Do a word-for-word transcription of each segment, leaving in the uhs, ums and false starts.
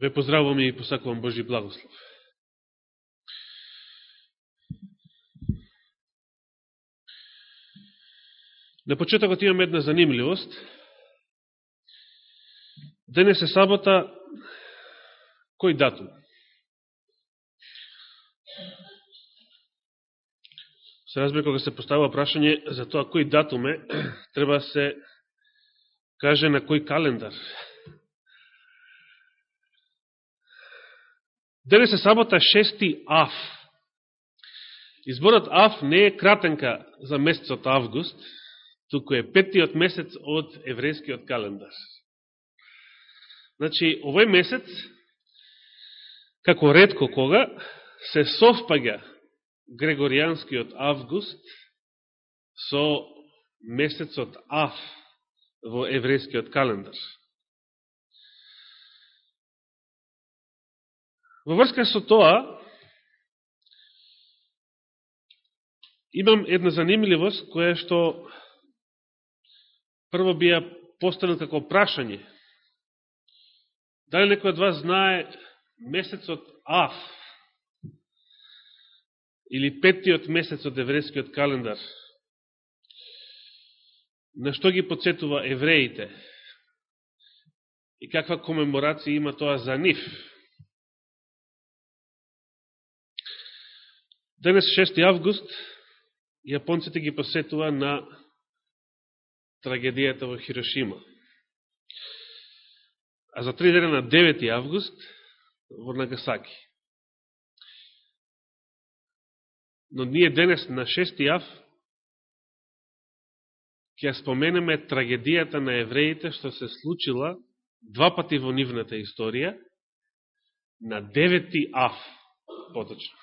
Ве поздравувам и посакувам Божи благослов. На почетокот имам една занимливост. Денес е сабота, кој датум? Се разбира, кога се поставува прашање за тоа кој датум е, треба да се каже на кој календар. Денес е сабота шести ав. Изборот ав не е кратенка за месецот август, туку е петтиот месец од еврејскиот календар. Значи, овој месец, како ретко кога, се совпаѓа Грегоријанскиот август со месецот ав во еврејскиот календар. Во врска со тоа, имам една занимливост која што прво би ја поставил како прашање. Дали некој од вас знае месецот ав или петтиот месец од еврејскиот календар? На што ги подсетува евреите? И каква комеморација има тоа за нив? Денес, шести август, јапонците ги посетува на трагедијата во Хирошима. А за три дена на девети август во Нагасаки. Но ние денес на шести ав ќе споменеме трагедијата на евреите што се случила два пати во нивната историја на девети ав поточно.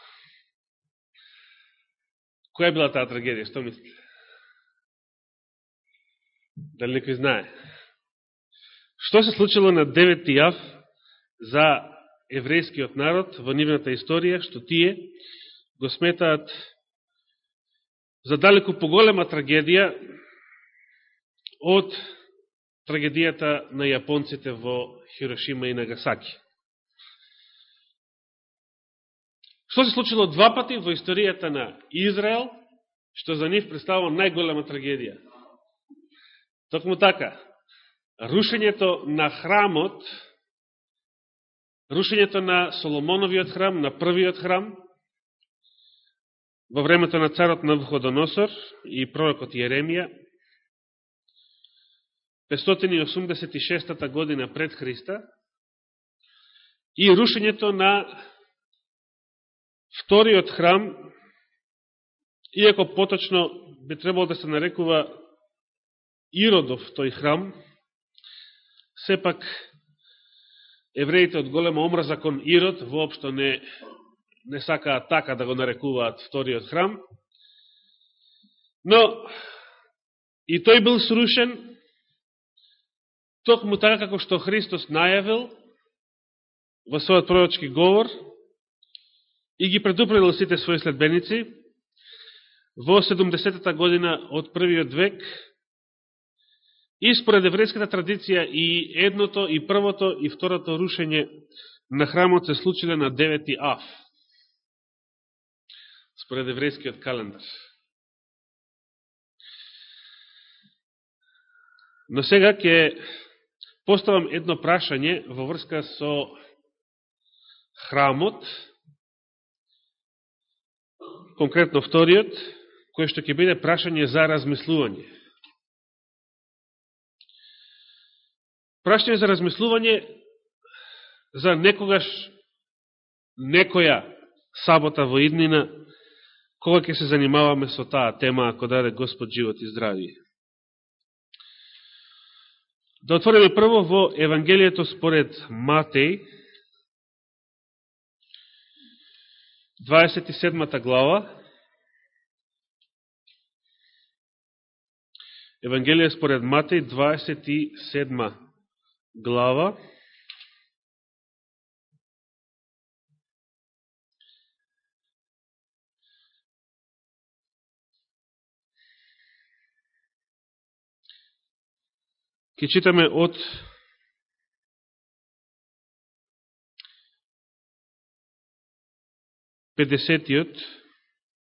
Која била таа трагедија? Што мислите? Дали некој знае? Што се случило на девети ав за еврејскиот народ во нивната историја, што тие го сметаат за далеку поголема трагедија од трагедијата на јапонците во Хирошима и Нагасаки. Што се случило два пати во историјата на Израел, што за нив представува најголема трагедија? Токму така, рушењето на храмот, рушењето на Соломоновиот храм, на првиот храм, во времето на царот Навуходоносор и пророкот Јеремија, петстотини и осумдесет и шестата година пред Христа, и рушењето на вториот храм, иако поточно би требало да се нарекува Иродов тој храм, сепак евреите од голема омраза кон Ирод воопшто не, не сакаат така да го нарекуваат вториот храм, но и тој бил срушен токму така како што Христос најавил во својот пророчки говор и ги предупредил сите своји следбеници во седумдесетата година од првиот век. И според еврејската традиција и едното, и првото, и второто рушење на храмот се случиле на девети ав. Според еврејскиот календар. Но сега ќе поставам едно прашање во врска со храмот, конкретно вториот, кој што ќе биде прашање за размислување. Прашање за размислување за некогаш некоја сабота во иднина, кога ќе се занимаваме со таа тема, ако даде Господ живот и здравие. Да отвориме прво во Евангелието според Матеј, дваесет и седмата глава. Евангелие според Матеј, дваесет и седма глава. Ке читаме од педесетиот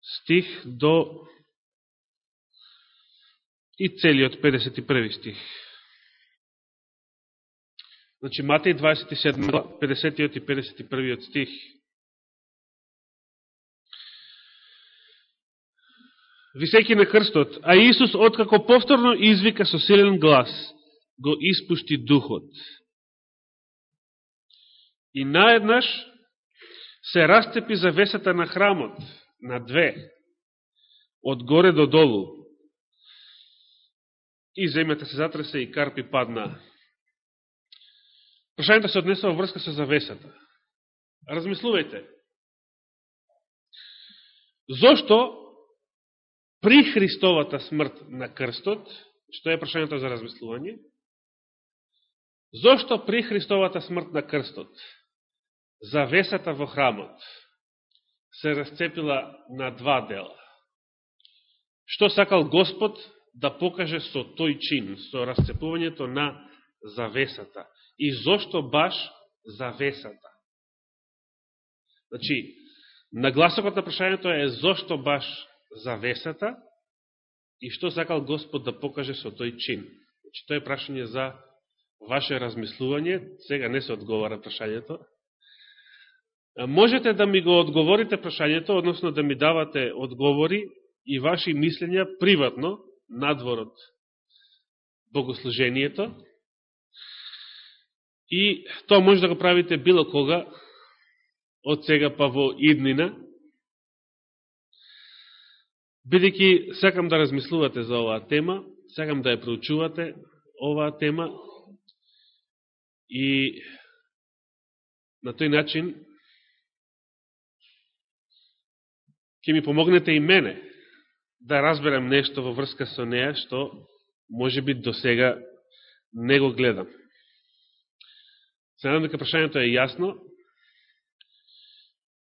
стих до и целиот педесет и први стих. Значи, Матеј дваесет и седма, педесетиот и педесет и првиот стих. Висејќи на крстот, а Исус, откако повторно извика со силен глас, го испушти духот. И наеднаш се расцепи завесата на храмот на две, од горе до долу. И земјата се затресе и карпи падна. Прашањето се однесува во врска со завесата. Размислувајте. Зошто при Христовата смрт на крстот, што е прашањето за размислување, зошто при Христовата смрт на крстот завесата во храмот се расцепила на два дела? Што сакал Господ да покаже со тој чин, со расцепувањето на завесата? И зошто баш завесата? Значи, нагласокот на прашањето е зошто баш завесата и што сакал Господ да покаже со тој чин. Значи, тоа е прашање за ваше размислување, сега не се одговара прашањето. Можете да ми го одговорите прашањето, односно да ми давате одговори и ваши мислења приватно, надвор од богослужението. И тоа може да го правите било кога, од сега па во иднина, бидејќи сакам да размислувате за оваа тема, сакам да ја проучувате оваа тема и на тој начин ќе ми помогнете и мене да разберам нешто во врска со неа, што може би до сега не го гледам. Се надам дека прашањето е јасно.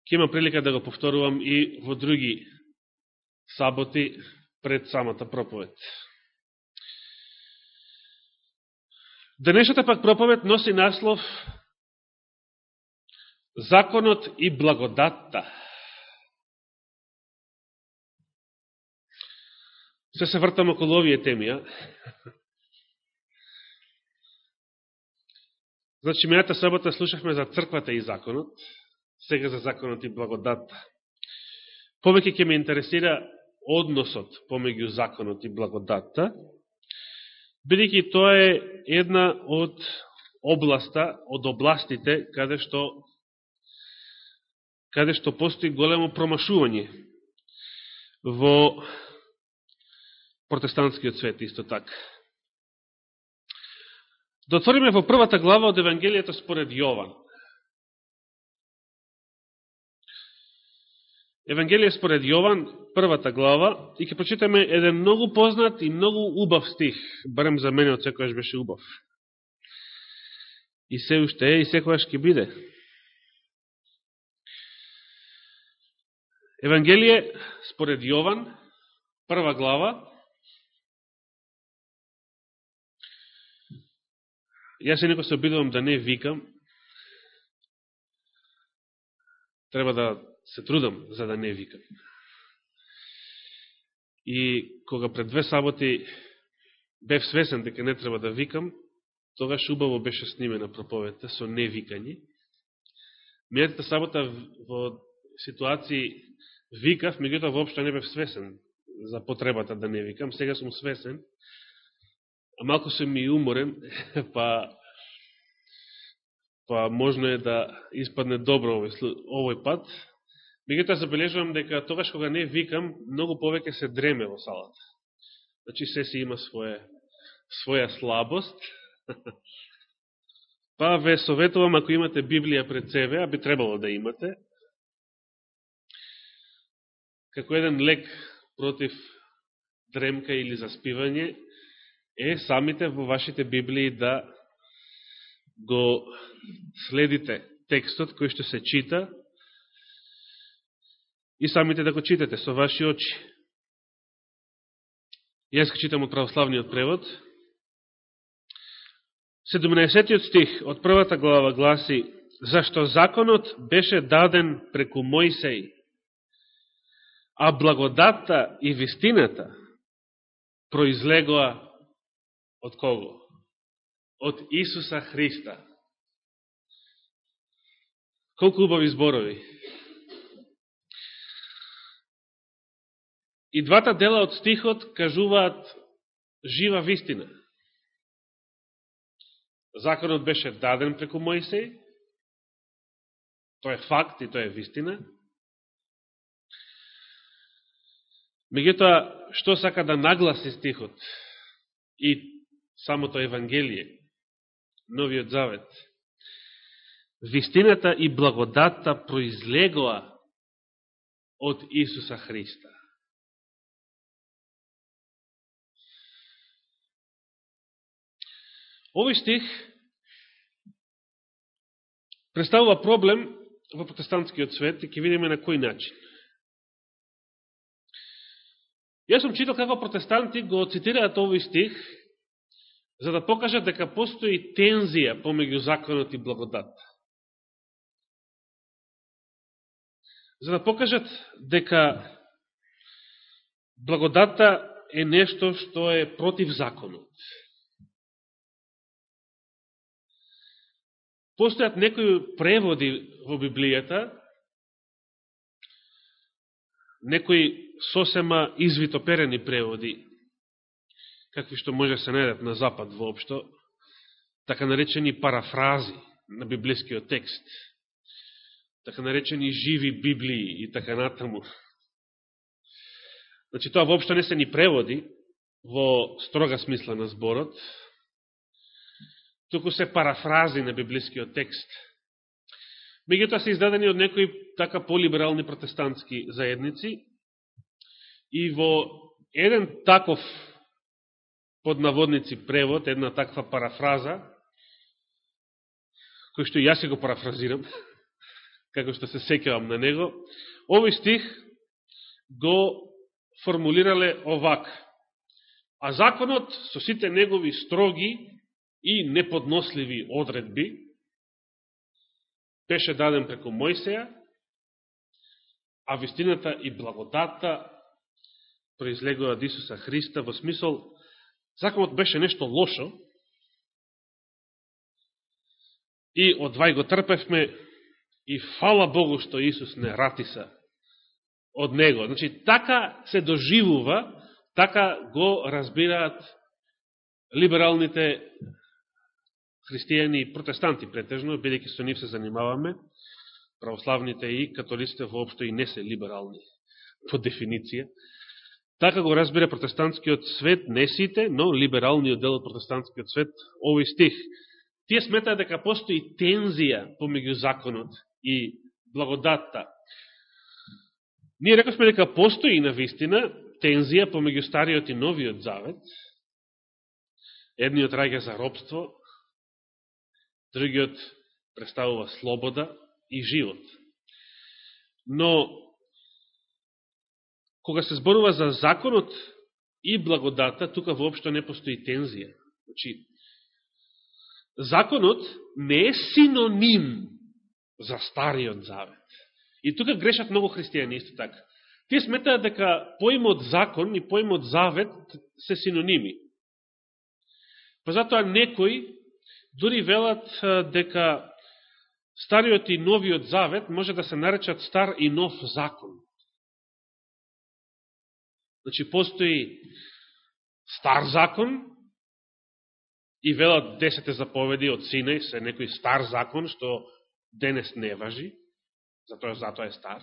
Ќе имам прилика да го повторувам и во други саботи пред самата проповед. Денешната пак проповед носи наслов Законот и благодатта. Се се вртам околу овие теми, а? Значи, мината сабота слушахме за црквата и законот, сега за законот и благодатта. Повеќе ќе ме интересира односот помеѓу законот и благодатта, бидејќи тоа е една од областа, од областите каде што каде што постои големо промашување во протестантскиот свет исто така. Да отвориме во првата глава од Евангелието според Јован. Евангелие според Јован, првата глава, и ќе прочитаме еден многу познат и многу убав стих, барем за мене од секојаш беше убав. И се уште е, и секојаш ќе биде. Евангелие според Јован, прва глава. Јас се некој се обидувам да не викам. Треба да се трудам за да не викам. И кога пред две саботи бев свесен дека не треба да викам, тогаш убаво беше снимена проповедта со невикање. Мијатата сабота во ситуации викав, меѓутоа воопшто не бев свесен за потребата да не викам. Сега сум свесен, а малку сум и уморен, па па можно е да испадне добро овој, овој пат. Меѓутоа забележувам дека тогаш кога не викам, многу повеќе се дреме во салата. Значи се си има своја, своја слабост. Па ве советувам, ако имате Библија пред себе, а би требало да имате, како еден лек против дремка или заспивање, е самите во вашите Библии да го следите текстот кој што се чита и самите да го читате со ваши очи. Јас го читам од православниот превод. седумнаесеттиот стих од првата глава гласи: зашто законот беше даден преку Мојсей а благодатта и вистината произлегоа од кого? Од Исуса Христа. Колку убави зборови. И двата дела од стихот кажуваат жива вистина. Законот беше даден преку Мојсей, тоа е факт и тоа е вистина. Меѓутоа, што сака да нагласи стихот и самото Евангелие, Новиот Завет? Вистината и благодатта произлегоа од Исуса Христа. Овој стих представува проблем во протестантскиот свет и ќе видиме на кој начин. Јас сум читал како протестанти го цитираат овој стих за да покажат дека постои тензија помеѓу законот и благодатта. За да покажат дека благодатта е нешто што е против законот. Постојат некои преводи во Библијата, некои сосема извитоперени преводи, какви што може се најдат на запад воопшто, така наречени парафрази на библискиот текст, така наречени живи Библии и така натаму. Значи, тоа воопшто не се ни преводи во строга смисла на зборот, туку се парафрази на библискиот текст. Меѓутоа се издадени од некои така полиберални протестантски заедници и во еден таков под наводници превод, една таква парафраза, кој што јас го парафразирам, како што се сеќавам на него, овој стих го формулирале овак: а законот со сите негови строги и неподносливи одредби беше даден преку Мојсеја, а вистината и благодатта произлегува од Исуса Христа, во смисол законот беше нешто лошо и одвај го трпевме и фала Богу што Исус не ратиса од него. Значи, така се доживува, така го разбираат либералните христијани и протестанти претежно, бидејќи со нив се занимаваме, православните и католиците воопшто и не се либерални по дефиниција. Така го разбира протестантскиот свет, не сите, но либералниот дел од протестантскиот свет, овој стих. Тие сметаат дека постои тензија помеѓу законот и благодатта. Ние рековме дека постои на вистина тензија помеѓу Стариот и Новиот Завет. Едниот раѓа за робство, другиот представува слобода и живот. Но, кога се зборува за законот и благодата, тука воопшто не постои тензија. Значи, законот не е синоним за Стариот Завет. И тука грешат многу христијани исто така. Тие сметаат дека поимот закон и поимот завет се синоними. Па затоа некои дури велат дека Стариот и Новиот Завет може да се наречат Стар и Нов закон. Значи, постои Стар закон и велат десете заповеди од Синај се некој Стар закон, што денес не важи, затоа затоа е стар.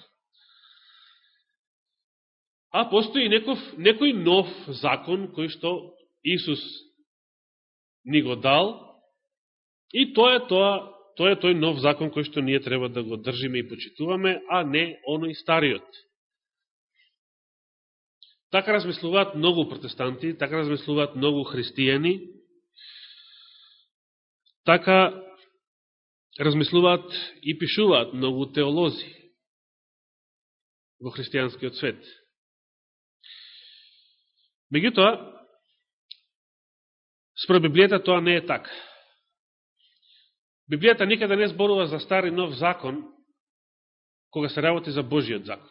А постои некој, некој нов закон кој што Исус ни го дал, и тоа е тоа, тоа е тој нов закон кој што ние треба да го држиме и почитуваме, а не оној стариот. Така размислуваат многу протестанти, така размислуваат многу христијани, така размислуваат и пишуваат многу теолози во христијанскиот свет. Меѓутоа, според Библијата тоа не е така. Библијата никаде не зборува за стар и нов закон, кога се работи за Божиот закон.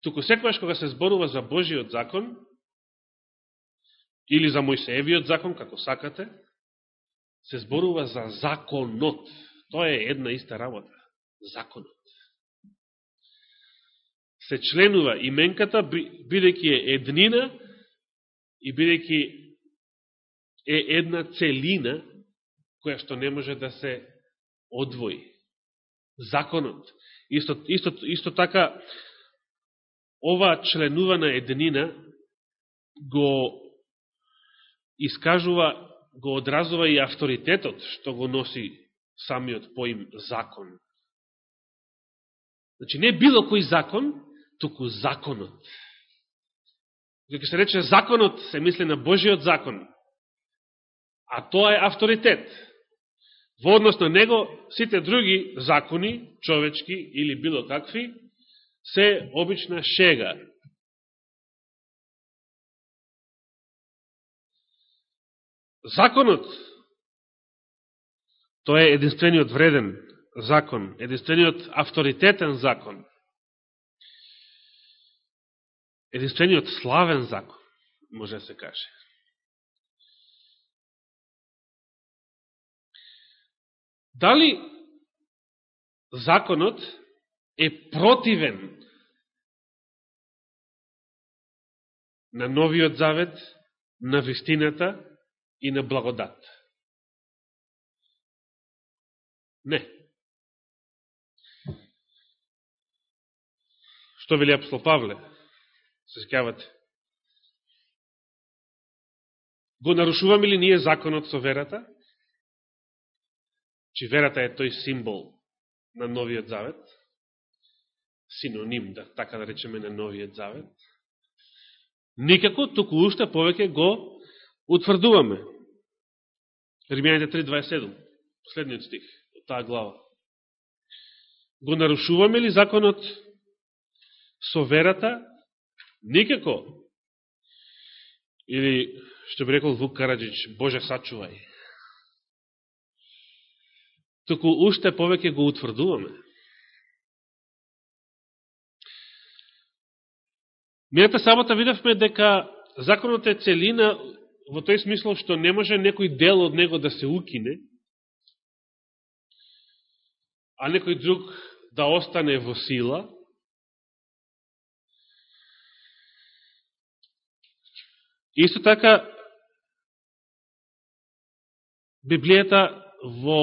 туку секогаш кога се зборува за Божиот закон, или за Мојсеевиот закон, како сакате, се зборува за законот. Тоа е една иста работа. Законот. Се членува именката, бидејќи е еднина и бидејќи е една целина, која што не може да се одвои. Законот. Исто, исто, исто така, ова членувана еднина го искажува, го одразува и авторитетот што го носи самиот поим закон. Значи, не било кој закон, туку законот. Кога се рече законот, се мисли на Божиот закон, а тоа е авторитет. Во однос на него, сите други закони, човечки или било какви, се обична шега. Законот, тоа е единствениот вреден закон, единствениот авторитетен закон, единствениот славен закон, може да се каже. Дали законот е противен на новиот завет, на вистината и на благодат? Не. Што вели апостол Павле? Се сеќавате? Го нарушуваме ли ние законот со верата? Че верата е тој символ на новиот завет, синоним, да, така да речеме, на новиот завет. Никако, туку уште повеќе го утврдуваме. Римјаните три дваесет и седум, последниот стих од таа глава. Го нарушуваме ли законот со верата? Никако. Или, што би рекол Вук Караджич, Боже сачувај. Туку уште повеќе го утврдуваме. Мијата сабота видовме дека законот е целина во тој смисло што не може некој дел од него да се укине, а некој друг да остане во сила. Исто така, Библијата во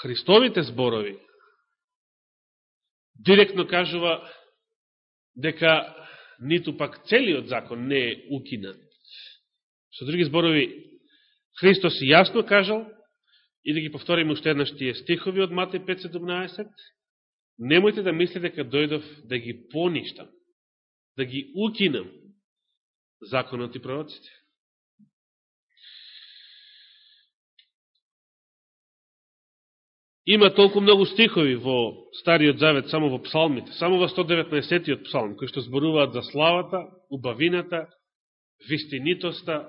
Христовите зборови директно кажува дека ниту пак целиот закон не е укинат. Со други зборови, Христос јасно кажал, и да ги повториме уште еднаш тие стихови од Матеј пет седумнаесет, немојте да мислите дека дојдов да ги поништам, да ги укинам законот и пророците. Има толку многу стихови во Стариот Завет, само во псалмите, само во сто деветнаесеттиот псалм, кои што зборуваат за славата, убавината, вистинитоста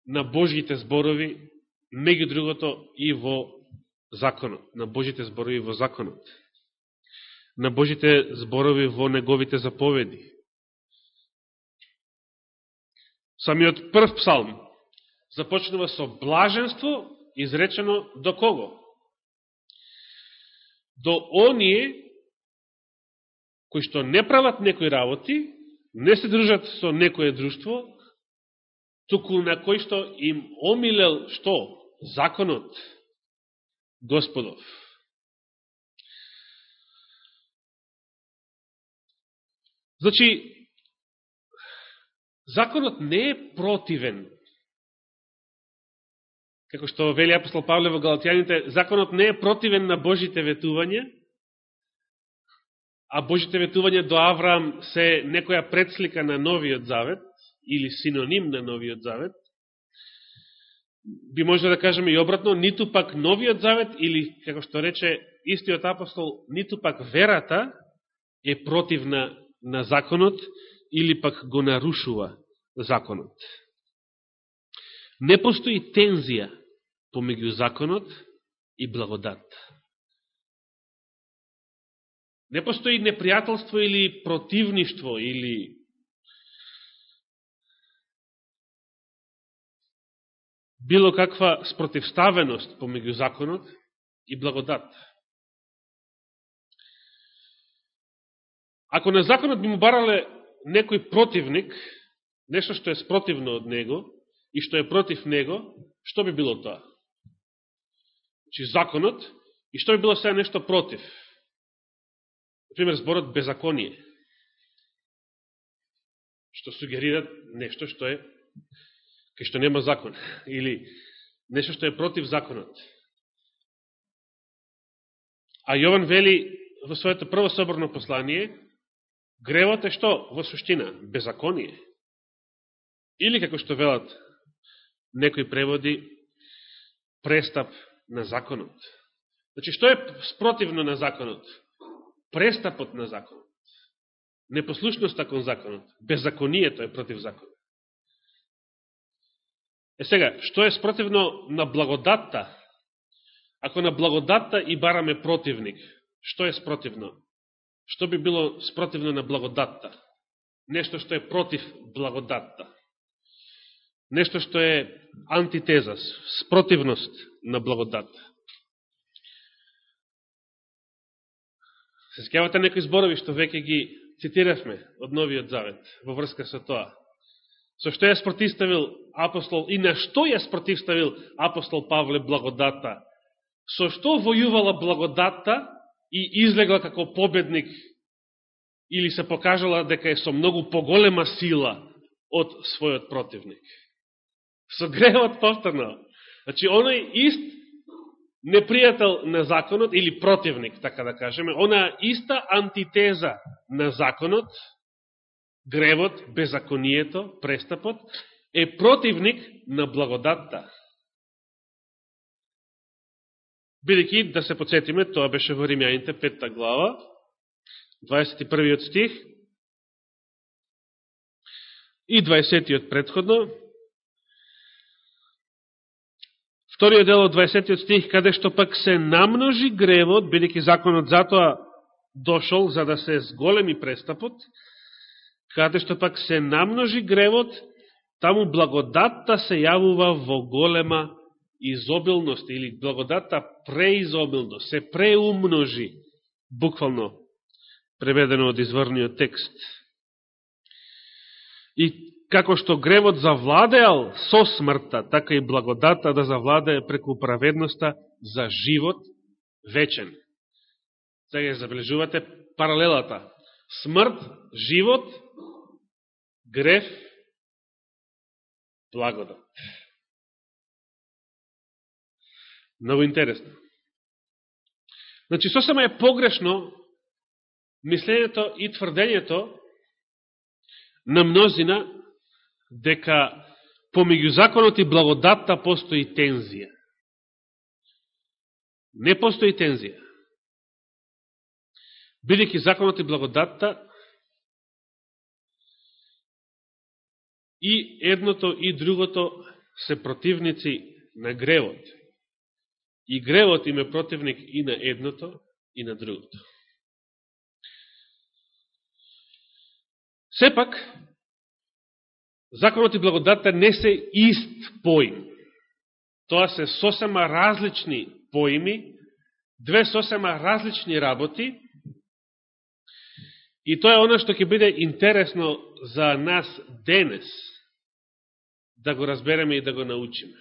на Божите зборови, меѓу другото и во законот, на Божите зборови во законот, на Божите зборови во неговите заповеди. Самиот прв псалм започнува со блаженство, изречено до кого? До оние кои што не прават некои работи, не се дружат со некое друштво, туку на кои што им омилел што? Законот Господов. Значи, законот не е противен. Како што вели апостол Павле во Галатјаните, законот не е противен на Божите ветувања, а Божите ветувања до Авраам се некоја предслика на Новиот Завет, или синоним на Новиот Завет. Би може да кажеме и обратно, ниту пак Новиот Завет, или, како што рече истиот апостол, ниту пак верата е противна на законот, или пак го нарушува законот. Не постои тензија помеѓу законот и благодат. Не постои непријателство или противништво или било каква спротивставеност помеѓу законот и благодат. Ако на законот би му барале некој противник, нешто што е спротивно од него и што е против него, што би било тоа? Значи законот и што би било сега нешто против? Например, зборот беззаконие, што сугерира нешто што е кај што нема закон, или нешто што е против законот. А Јован вели во своето прво соборно послание, гревот е што? Во суштина, беззаконие. Или, како што велат некои преводи, престап на законот. Значи, што е спротивно на законот? Престапот на законот. Непослушноста кон законот. Беззаконието е против законот. Е сега, што е спротивно на благодатта? Ако на благодатта и бараме противник, што е спротивно? Што би било спротивно на благодатта? Нешто што е против благодатта. Нешто што е антитеза, спротивност на благодатта. Се сеќавате некои зборови што веќе ги цитиравме од Новиот Завет во врска со тоа. Со што ја спротивставил апостол и на што ја спротивставил апостол Павле благодатта? Со што војувала благодатта и излегла како победник или се покажала дека е со многу поголема сила од својот противник? Со гревот повторно. Значи, оној ист непријател на законот, или противник, така да кажеме, она иста антитеза на законот, гревот, беззаконието, престапот, е противник на благодатта. Бидејќи, да се подсетиме, тоа беше во Римјаните петта глава, дваесет и првиот стих и дваесетиот предходно. Вториот дел од дваесетиот стих, каде што пак се намножи гревот, бидејќи законот затоа дошол за да се зголеми престапот, каде што пак се намножи гревот, таму благодатта се јавува во голема изобилност, или благодатта преизобилно, се преумножи, буквално преведено од изворниот текст. И како што гревот завладеал со смртта, така и благодатта да завладее преку праведноста за живот вечен. Сега ја забележувате паралелата. Смрт, живот, грев, благодат. Много интересно. Значи, сосема е погрешно мислењето и тврдењето на мнозина дека помеѓу законот и благодатта постои тензија. Не постои тензија. Бидејќи законот и благодатта и едното и другото се противници на гревот. И гревот им е противник и на едното и на другото. Сепак, законот и благодатта не се ист поим. Тоа се сосема различни поими, две сосема различни работи, и тоа е оно што ќе биде интересно за нас денес, да го разбереме и да го научиме.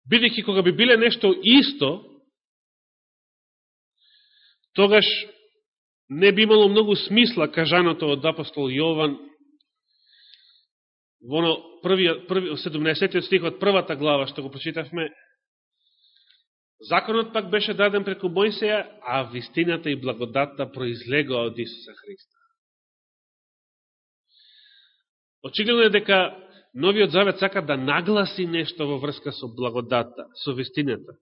Бидејќи кога би биле нешто исто, тогаш не би имало многу смисла кажаното од апостол Јован во првиот, први, седумнаесеттиот стих од првата глава што го прочитавме. Законот пак беше даден преку Мојсеја, а вистината и благодатта произлегоа од Исуса Христа. Очигледно е дека Новиот Завет сака да нагласи нешто во врска со благодатта, со вистината,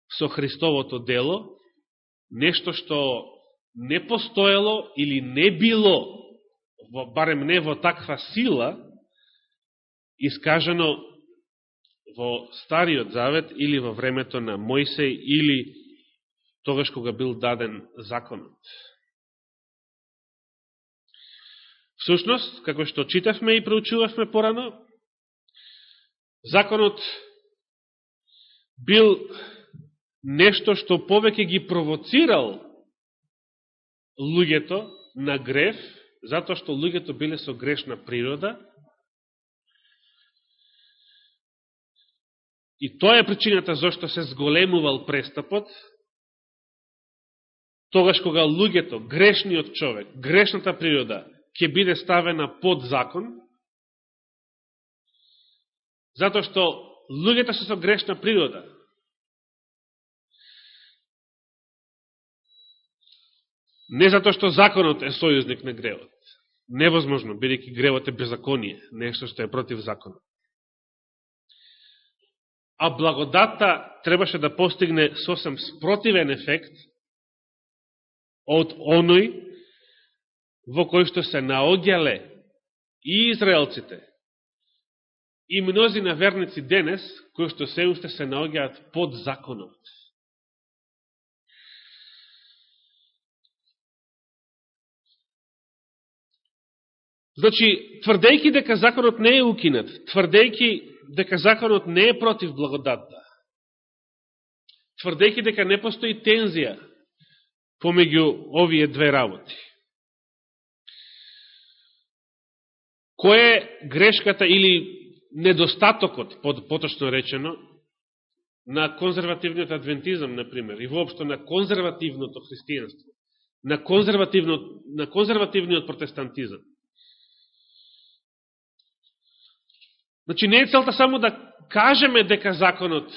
со Христовото дело, нешто што не постоело или не било, барем не во таква сила, искажено во Стариот Завет или во времето на Мојсеј или тогаш кога бил даден законот. Всушност, како што читавме и проучувавме порано, законот бил нешто што повеќе ги провоцирал луѓето на грев, затоа што луѓето биле со грешна природа. И тоа е причината зашто се зголемувал престапот, тогаш кога луѓето, грешниот човек, грешната природа, ќе биде ставена под закон, затоа што луѓето се со грешна природа. Не затоа што законот е сојузник на гревот. Невозможно, бидејќи гревот е беззаконие, нешто што е против законот. А благодатта требаше да постигне сосем спротивен ефект од оној во кој што се наоѓале и израелците, и мнозина верници денес, кои што се уште се наоѓаат под законот. Значи, тврдејќи дека законот не е укинат, тврдејќи дека законот не е против благодатта, тврдејќи дека не постои тензија помеѓу овие две работи. Кој е грешката или недостатокот, поточно речено, на конзервативниот адвентизам, например, и воопшто на конзервативното христијанство, на, конзервативно, на конзервативниот протестантизам? Значи, не е целта само да кажеме дека законот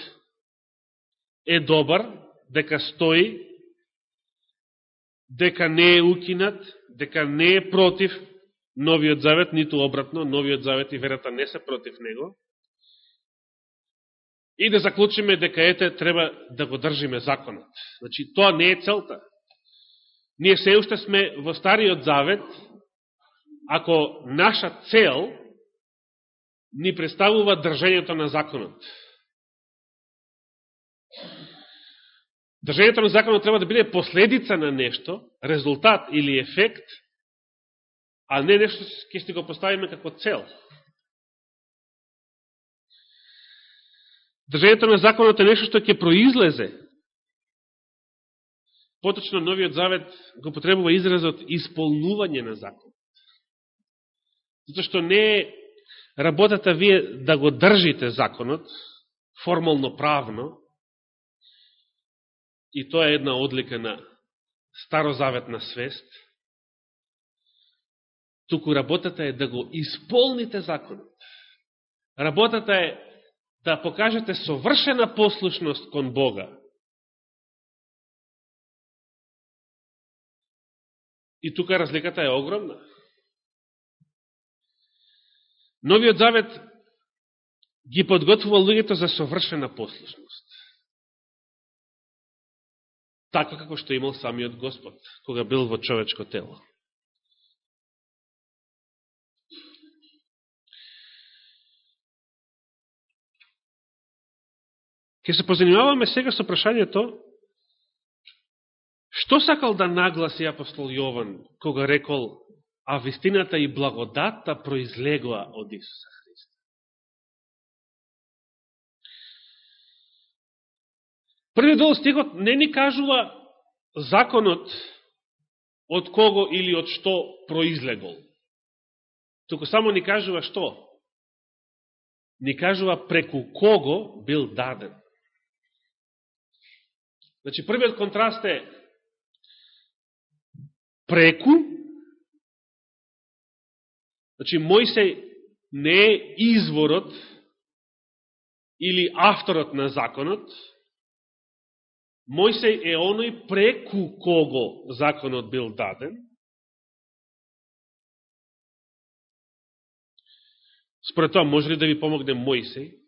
е добар, дека стои, дека не е укинат, дека не е против Новиот Завет, ниту обратно, Новиот Завет и верата не се против него, и да заклучиме дека ете треба да го држиме законот. Значи, тоа не е целта. Ние се уште сме во Стариот Завет, ако наша цел ни представува држењето на законот. Држењето на законот треба да биде последица на нешто, резултат или ефект, а не нешто ќе си го поставиме како цел. Држењето на законот е нешто што ќе произлезе. Поточно Новиот Завет го потребува изразот исполнување на законот. Затоа што не е работата вие да го држите законот, формално правно, и тоа е една одлика на старозаветна свест, туку работата е да го исполните законот. Работата е да покажете совршена послушност кон Бога. И тука разликата е огромна. Новиот Завет ги подготвува луѓето за совршена послушност. Така како што имал самиот Господ, кога бил во човечко тело. Ке се позанимаваме сега со прашањето што сакал да нагласи апостол Јован кога рекол а вистината и благодатта произлегоа од Исуса Христа. Првиот дел стихот не ни кажува законот од кого или од што произлегол. Туку само ни кажува што? Ни кажува преку кого бил даден. Значи, првиот контраст е преку. Значи, Мојсей не е изворот или авторот на законот. Мојсей е оној преку кого законот бил даден. Според тоа, може ли да ви помогне Мојсей?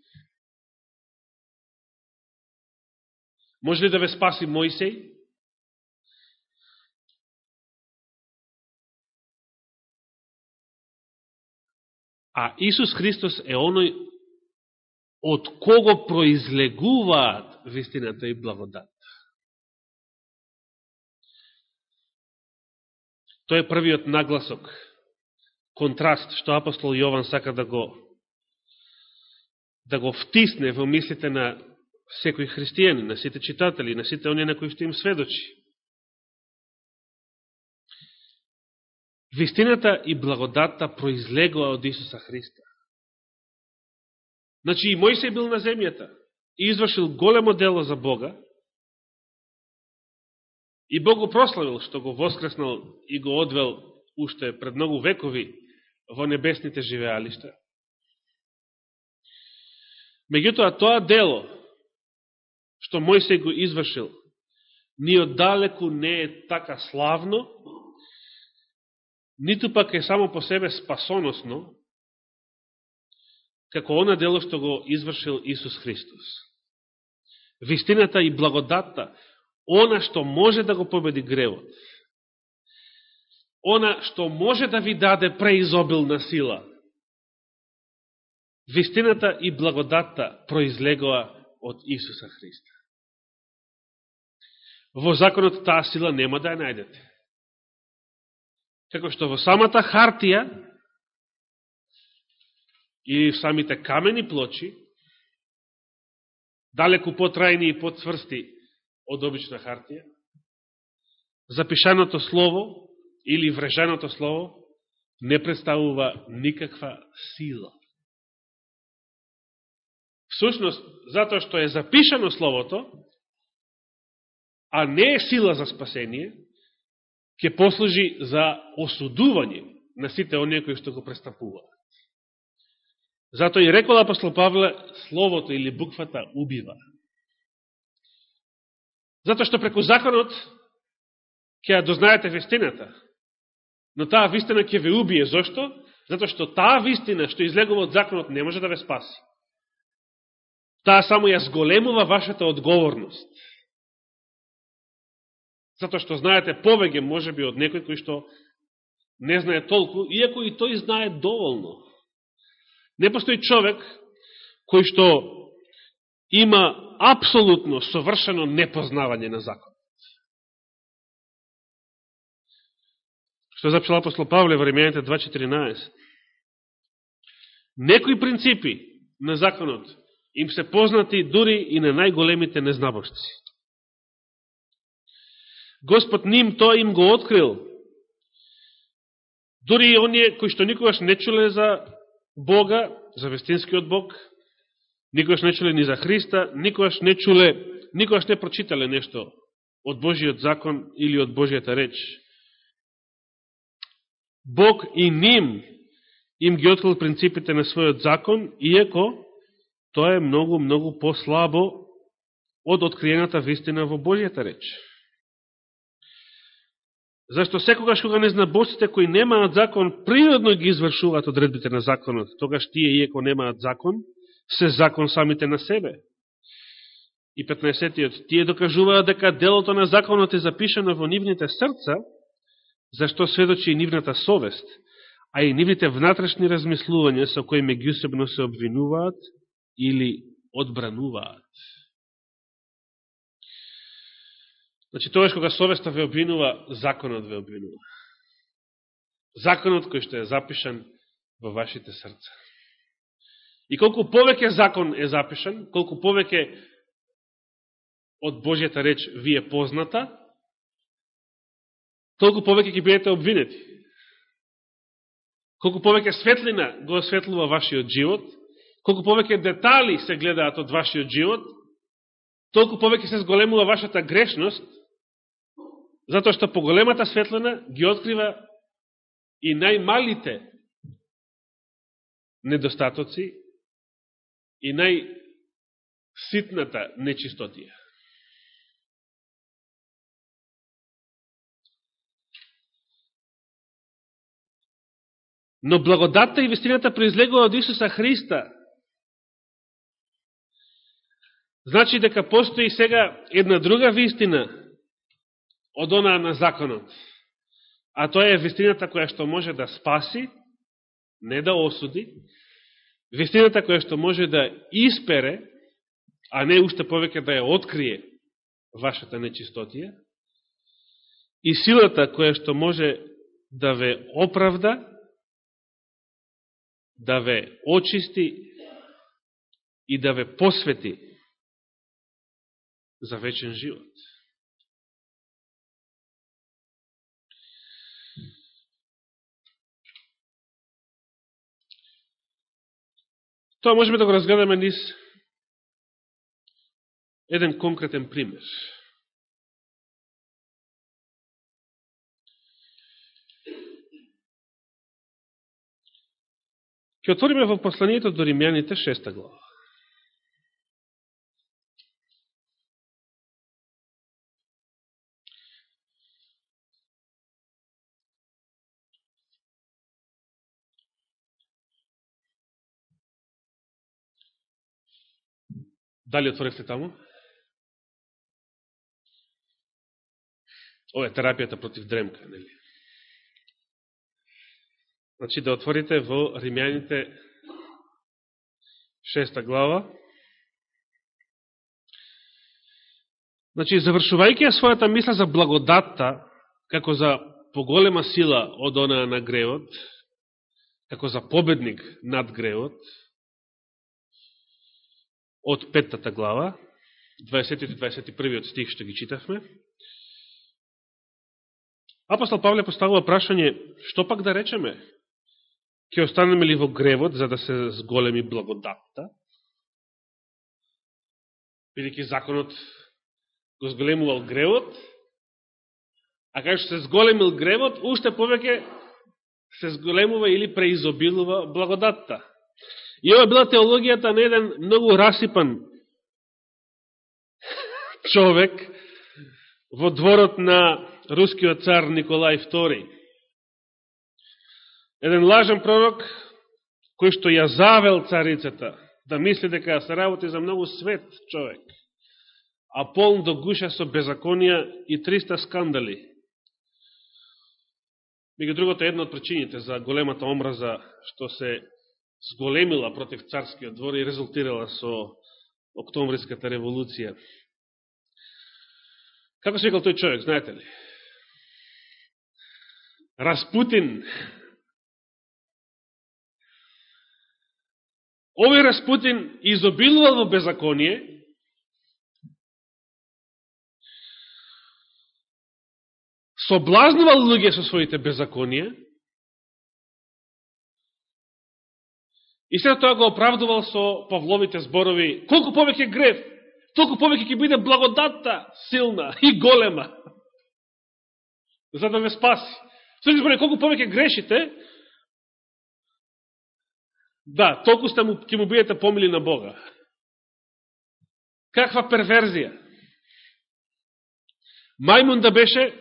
Може ли да ве спаси Мојсей? А Исус Христос е оној од кого произлегуваат вистината и благодат. Тој е првиот нагласок, контраст, што апостол Јован сака да го да го втисне во мислите на секој христијани, на сите читатели, на сите оние на кои што им сведочи. Вистината и благодатта произлегува од Исуса Христа. Значи и Мојсей бил на земјата и извршил големо дело за Бога, и Бог го прославил што го воскреснал и го одвел уште пред многу векови во небесните живеалишта. Меѓутоа, тоа дело што Мојсей го извршил, ни оддалеку не е така славно, ниту пак е само по себе спасоносно, како она дело што го извршил Исус Христос. Вистината и благодатта, она што може да го победи гревот, она што може да ви даде преизобилна сила, вистината и благодатта произлегува од Исуса Христа. Во законот таа сила нема да ја најдете. Како што во самата хартија и самите камени плочи, далеку потрајни и потцврсти од обична хартија, запишаното слово или врежаното слово не представува никаква сила. Всушност, затоа што е запишано словото, а не е сила за спасение, ќе послужи за осудување на сите оние кои што го престапуваат. Затоа и рекол апостол Павле, словото или буквата убива. Затоа што преку законот ќе ја дознаете вистината, но таа вистина ќе ве убие. Зошто? Затоа што таа вистина што излегува од законот не може да ве спаси. Таа само ја зголемува вашата одговорност. Затоа што знаете повеќе можеби од некој кој што не знае толку, иако и тој знае доволно. Не постои човек кој што има апсолутно совршено непознавање на закон. Што запишал апостол Павле во Римјаните два четиринаесет. Некои принципи на законот им се познати дури и на најголемите незнабожци. Господ ним тоа им го открил. Дури и оние кои што никогаш не чуле за Бога, за вистинскиот Бог, никогаш не чуле ни за Христа, никогаш не чуле, никогаш не прочитале нешто од Божиот закон или од Божијата реч. Бог и ним им ги открил принципите на својот закон, иако тоа е многу, многу послабо од откриената вистина во Божијата реч. Зашто секогаш кога незнабожците кои немаат закон природно ги извршуваат одредбите на законот, тогаш тие, иако немаат закон, се закон самите на себе. И петнаесеттиот, тие докажуваат дека делото на законот е запишано во нивните срца, зашто сведочи и нивната совест, а и нивните внатрешни размислувања со кои меѓусебно се обвинуваат или одбрануваат. Значи, тогаш кога совеста ве обвинува, законот ве обвинува. Законот кој што е запишан во вашите срца. И колку повеќе закон е запишан, колку повеќе од Божјата реч ви е позната, толку повеќе ќе бидете обвинети. Колку повеќе светлина го осветлува вашиот живот, колку повеќе детали се гледаат од вашиот живот, толку повеќе се зголемува вашата грешност, затоа што поголемата светлина ги открива и најмалите недостатоци и најситната нечистотија. Но благодатта и вистината произлегува од Исуса Христа. Значи дека постои сега една друга вистина од онаа на законот. А тоа е вистината која што може да спаси, не да осуди, вистината која што може да испере, а не уште повеќе да ја открие вашата нечистотија, и силата која што може да ве оправда, да ве очисти и да ве посвети за вечен живот. Тоа можеме да го разгледаме низ еден конкретен пример. Ќе отвориме во посланието до Римјаните шеста глава. Дали отворивте таму? Ова е терапијата против дремка, нели? Значи да отворите во Римјаните шеста глава. Значи, завршувајќи ја својата мисла за благодатта, како за поголема сила од онаа на гревот, како за победник над гревот, од петтата глава, дваесетти и дваесет и први стих што ги читавме, апостол Павле поставува прашање, што пак да речеме? Ќе останеме ли во гревот за да се зголеми благодатта? Бидејќи законот го зголемувал гревот, а кај што се зголемил гревот, уште повеќе се зголемува или преизобилува благодатта. И ова била теологијата на еден многу расипан човек во дворот на рускиот цар Николај втори. Еден лажен пророк, кој што ја завел царицата, да мисли дека се работи за многу свет човек, а полн до гуша со беззаконија и триста скандали. Меѓу другото, една од причините за големата омраза што се зголемила против царскиот двор и резултирала со Октомвриската револуција. Како се викал тој човек, знаете ли? Распутин. Овој Распутин изобилувал во беззаконие, соблазнувал луѓе со своите беззаконија и след тоа го оправдувал со Павловите зборови: колку повеќе грев, толку повеќе ќе биде благодатта силна и голема, за да ве спаси. Со зборови, колку повеќе грешите, да, толку сте му, ќе му бидете помили на Бога. Каква перверзија! Мајмун да беше,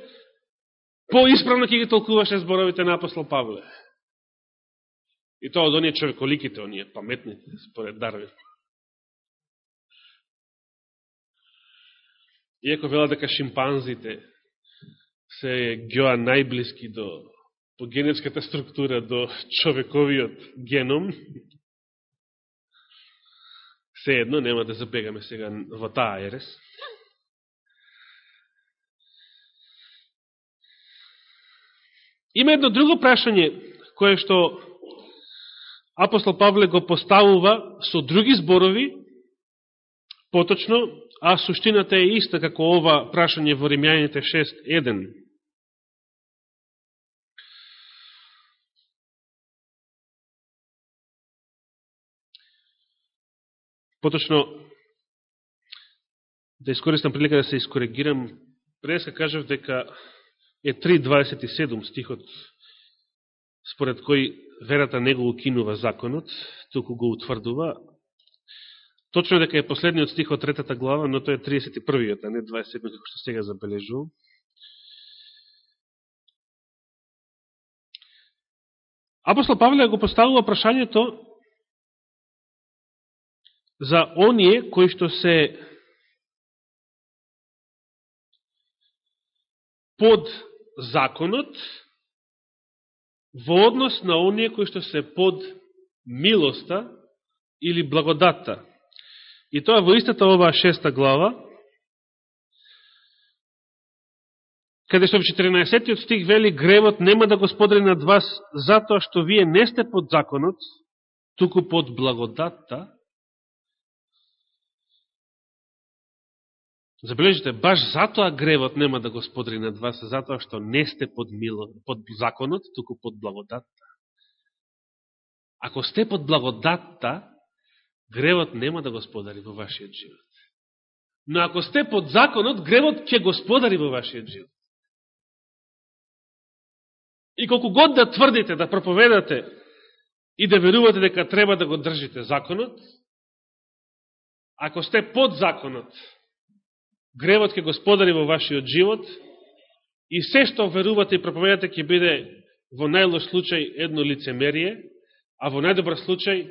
поисправно ќе ги толкуваше зборовите на апостол Павле. И тоа од оние човеколиките, оние паметните, според Дарвин. Иако велат дека шимпанзите се геоа најблиски до, по генетската структура до човековиот геном, се едно, нема да забегаме сега во таа ерес. Има едно друго прашање, кое што апостол Павле го поставува со други зборови, поточно, а суштината е иста како ова прашање во Римјаните шест еден. Поточно, да искористам прилика да се искоригирам, преска кажав дека е три дваесет и седум стихот, според кој верата не го укинува законот, туку го утврдува. Точно дека е последниот стих од третата глава, но тој е триесет и првиот, а не дваесет и седми, како што сега забележувам. Апостол Павле го поставува прашањето за оние кои што се под законот во однос на оние кои што се под милоста или благодатта. И тоа во истата оваа шеста глава, каде што во четиринаесеттиот стих вели, гревот нема да господари над вас, затоа што вие не сте под законот, туку под благодатта. Забележите, баш затоа гревот нема да господари над вас, затоа што не сте под, мило, под законот, туку под благодатта. Ако сте под благодатта, гревот нема да господари во вашиот живот. Но ако сте под законот, гревот ќе господари во вашиот живот. И колку год да тврдите, да проповедате и да верувате дека треба да го држите законот, ако сте под законот, гревот ќе господари во вашиот живот и се што верувате и проповедате ќе биде во најлош случај едно лицемерие, а во најдобар случај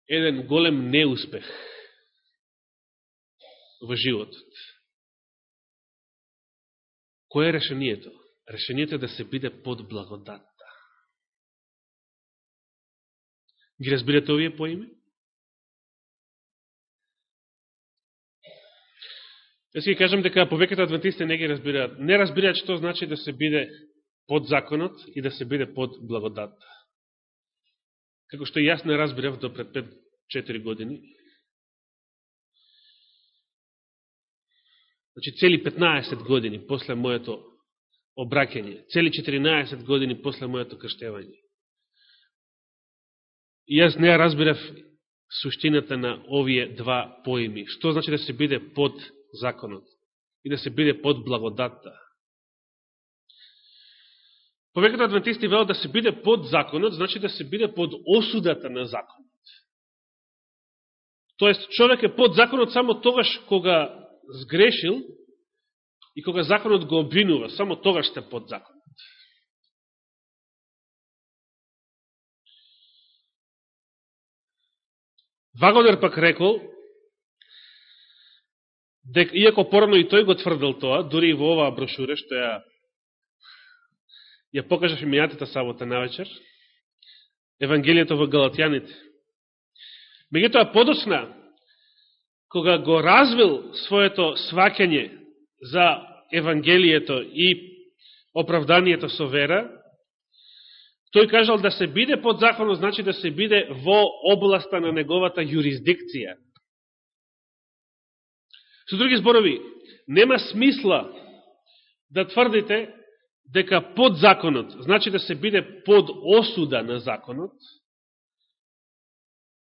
еден голем неуспех во животот. Кој е решението? Решението е да се биде под благодатта. Ги разбирате овие поими? Јас ќе кажам дека повеќето адвентисти не ги разбираат. Не разбираат што значи да се биде под законот и да се биде под благодатта. Како што и јас не разбирав до пред пет-четири години. Значи, цели петнаесет години после моето обраќање, цели четиринаесет години после моето крштевање. И јас не разбирав суштината на овие два поими. Што значи да се биде под законот и да се биде под благодатта. Повеќето адвентисти велат да се биде под законот, значи да се биде под осудата на законот. Тоест, човек е под законот само тогаш кога сгрешил и кога законот го обвинува, само тогаш сте под законот. Вагонер пак рекол, дека, иако порано и тој го тврдел тоа, дури и во оваа брошура, што ја ја покажав и мејатата сабота навечер, Евангелието во Галатјаните. Меѓутоа, подоцна, кога го развил своето сваќање за Евангелието и оправданието со вера, тој кажал да се биде под законот, значи да се биде во областа на неговата юрисдикција. Со други зборови, нема смисла да тврдите дека под законот, значи да се биде под осуда на законот,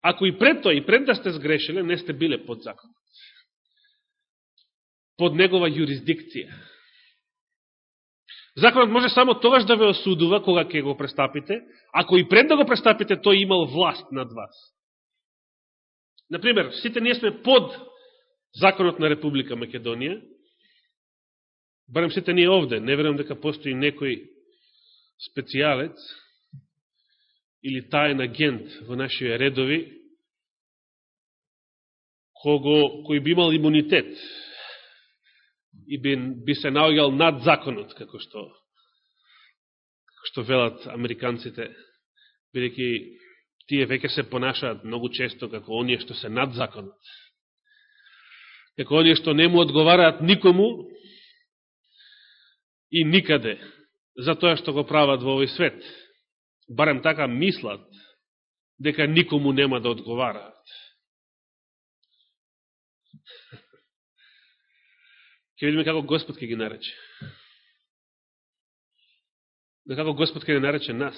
ако и пред тоа, и пред да сте сгрешиле, не сте биле под законот. Под негова юрисдикција. Законот може само тогаш да ве осудува, кога ќе го престапите, ако и пред да го престапите, тој имал власт над вас. Например, сите ние сме под законот на Република Македонија, барем сите ние овде, не верувам дека постои некој специјалец или таен агент во нашите редови, кого, кој би имал имунитет и би, би се наоѓал над законот, како што, како што велат американците, бидејќи тие веќе се понашаат многу често како оние што се над законот. Како оние што не му одговараат никому и никаде за тоа што го прават во овој свет. Барем така мислат дека никому нема да одговараат. Ке видиме како Господ ке ги нарече. Да како Господ ке ги нарече нас.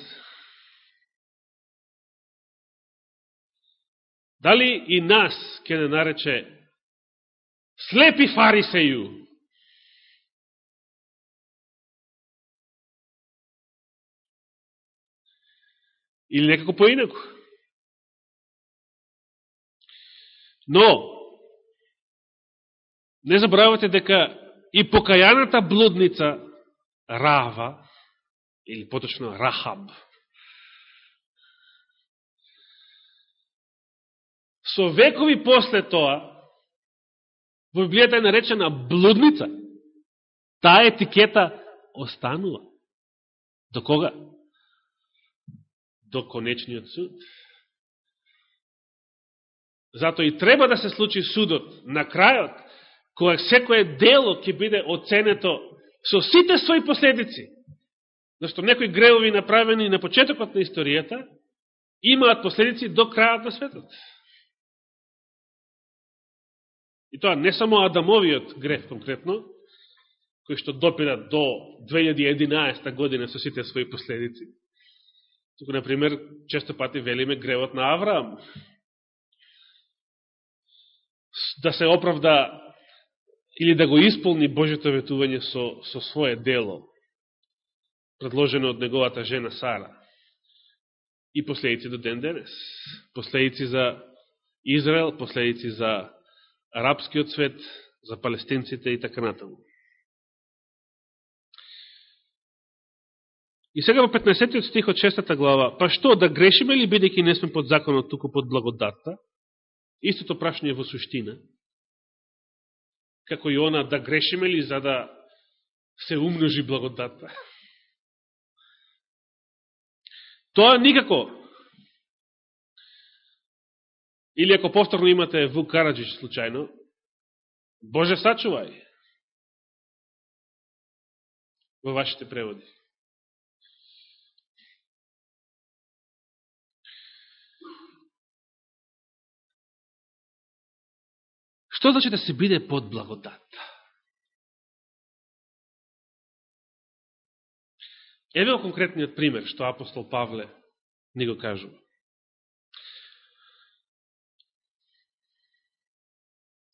Дали и нас ке не нарече слепи фарисеју? Или некако поинако? Но, не забравяйте дека и покајаната блудница Рава, или поточно Рахаб, со векови после тоа, во Библијата е наречена блудница. Таа етикета останува. До кога? До конечниот суд. Зато и треба да се случи судот на крајот, кога секое дело ќе биде оценето со сите своји последици. Зашто некои гревови направени на почетокот на историјата имаат последици до крајот на светот. И тоа не само Адамовиот грев конкретно, кој што допира до две илјади и единаесета година со сите своји последици. Туку, например, често пати велиме гревот на Авраам. Да се оправда или да го исполни Божјето ветување со, со свое дело, предложено од неговата жена Сара. И последици до ден денес. Последици за Израел, последици за арапскиот свет, за палестинците и така натаму. И сега во петнаесеттиот стих од шестата глава, па што, да грешиме ли бидејќи не сме под законот, туку под благодатта? Истото прашање во суштина. Како и она, да грешиме ли за да се умножи благодатта? Тоа никако. Или ако повторно имате Вук Караджич случајно, Боже сачувај во вашите преводи. Што значи да се биде под благодат? Еве го конкретниот пример што апостол Павле ни го кажува.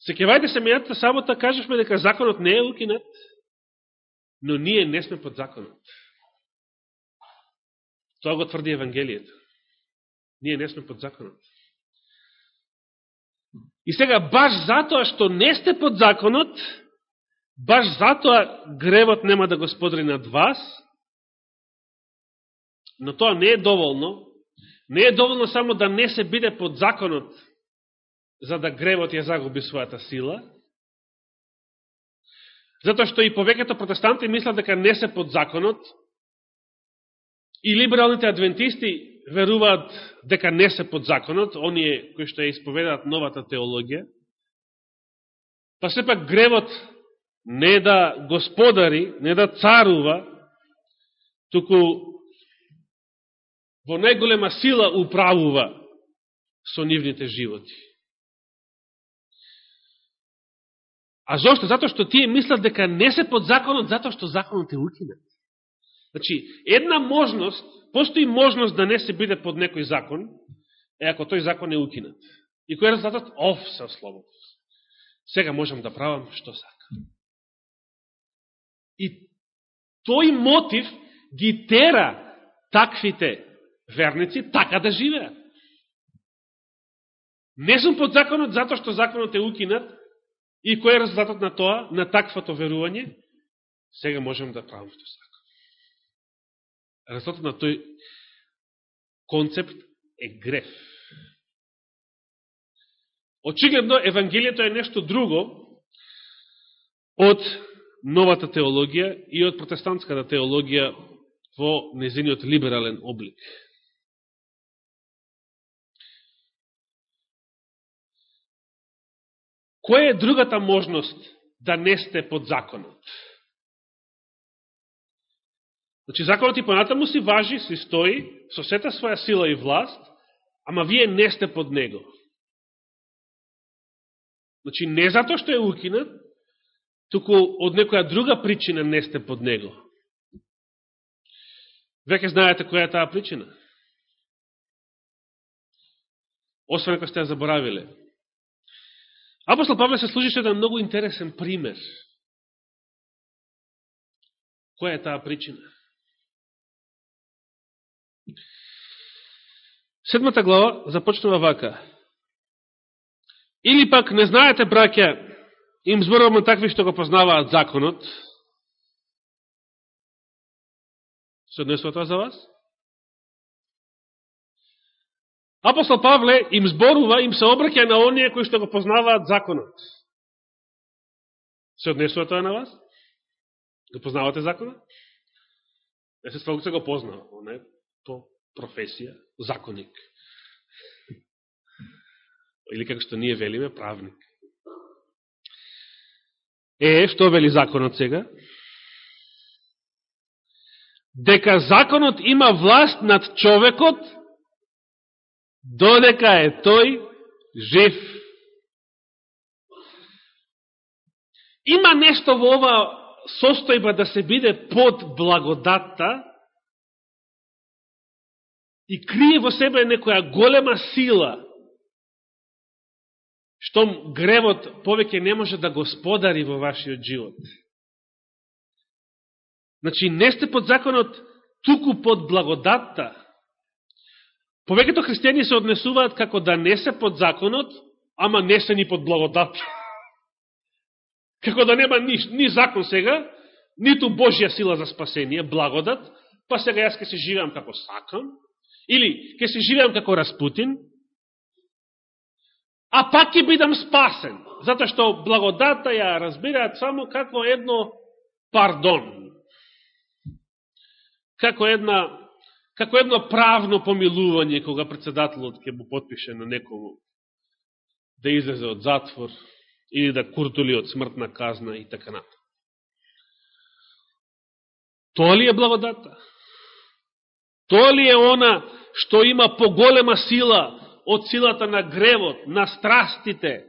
Секевајте се мејата сабота кажешме дека законот не е укинат, но ние не сме под законот. Тоа го тврди Евангелието. Ние не сме под законот. И сега, баш затоа што не сте под законот, баш затоа гревот нема да го сподри над вас, но тоа не е доволно. Не е доволно само да не се биде под законот, за да гревот ја загуби својата сила, затоа што и повеќето протестанти мислат дека не се под законот, и либералните адвентисти веруваат дека не се под законот, оние кои што ја исповедаат новата теологија, па сепак гревот не да господари, не да царува, туку во најголема сила управува со нивните животи. А зошто? Затоа што тие мислат дека не се под законот, затоа што законот е укинат. Значи, една можност, постои можност да не се биде под некој закон, е ако тој закон е укинат. И кој е резултатот? Оф, се слободност. Сега можам да правам што сакам. И тој мотив ги тера таквите верници така да живеат. Не сум под законот затоа што законот е укинат, и кој е резултатот на тоа, на таквото верување? Сега можам да правам што сакам. Резултатот на тој концепт е греф. Очигледно, Евангелието е нешто друго од новата теологија и од протестантската теологија во незиниот либерален облик. Која е другата можност да не сте под законот? Значи, законот и понатаму си важи, си стои, со сета своја сила и власт, ама вие не сте под него. Значи, не затоа што е укинат, туку од некоја друга причина не сте под него. Веќе знаете која е таа причина. Освен ако сте ја заборавиле. Апостол Павле се служи со еден многу интересен пример. Која е таа причина? Седмата глава започнува вака. Или пак не знаете, браќа, им зборуваме такви што го познаваат законот. Се однесува тоа за вас? Апостол Павле им зборува, им се обраќа на оние кои што го познаваат законот. Се однесува тоа на вас? Го познавате законот? Естествено се го познава, не? По професија, законник. Или како што ние велиме, правник. Е, што вели законот сега? дека законот има власт над човекот, додека е тој жив. Има нешто во ова состојба да се биде под благодатта и крие во себе некоја голема сила, што гревот повеќе не може да господари во вашиот живот. Значи, не сте под законот, туку под благодатта. Повеќето христијани се однесуваат како да не се под законот, ама не се ни под благодатта. Како да нема ни, ни закон сега, ниту Божја сила за спасение, благодат, па сега јас ке се живеам како сакам, или ке се живеам како Распутин, а пак ќе бидам спасен, затоа што благодата ја разбираат само како едно пардон, како една како едно правно помилување кога председателот ќе му потпише на некому да излезе од затвор или да куртули од смртна казна и така натаму. Тоа ли е благодата? Тоа ли е она што има поголема сила од силата на гревот, на страстите,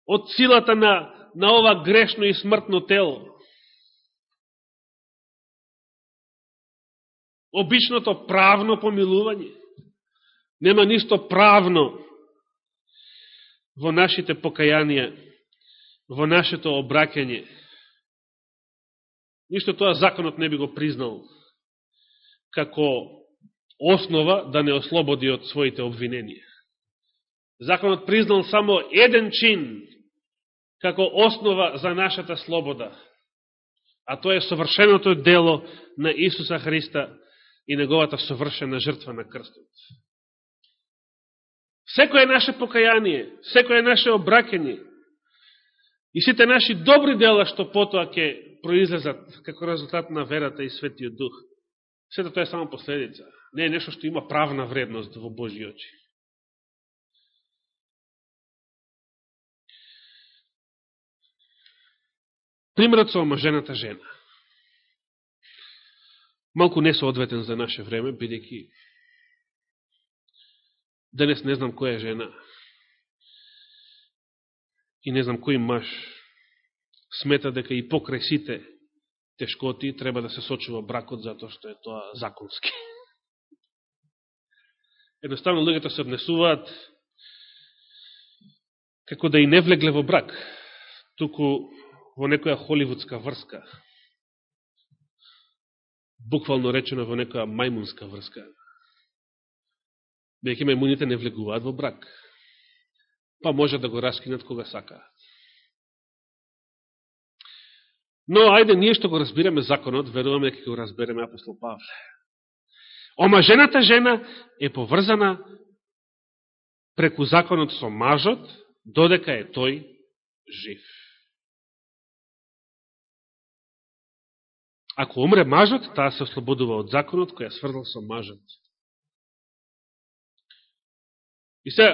од силата на, на ова грешно и смртно тело? Обичното правно помилување. Нема ништо правно во нашите покаянија, во нашето обраќање. Ништо тоа законот не би го признал како основа да не ослободи од своите обвиненија. Законот признал само еден чин како основа за нашата слобода, а тоа е совршеното дело на Исуса Христа и неговата совршена жртва на крстот. Секој наше покаяние, секој наше обраќање и сите наши добри дела што потоа ќе произлезат како резултат на верата и Светиот Дух, сето тоа е само последица. Не е нешто што има правна вредност во Божји очи. Примерот со омажената жена. Малку не соодветен за наше време, бидејќи денес не знам која жена и не знам кој маж смета дека и покрај сите тешкоти треба да се сочува бракот затоа што е тоа законски. Едноставно луѓето се однесуваат како да и не влегле во брак, туку во некоја холивудска врска, буквално речено во некоја мајмунска врска. Бејќи мајмуните не влегуваат во брак, па може да го раскинат кога сакаат. Но, ајде, ние што го разбираме законот, веруваме дека го разбереме апостол Павле. Омажената жена е поврзана преку законот со мажот, додека е тој жив. Ако умре мажот, таа се ослободува од законот кој ја сврзал со мажот. И се,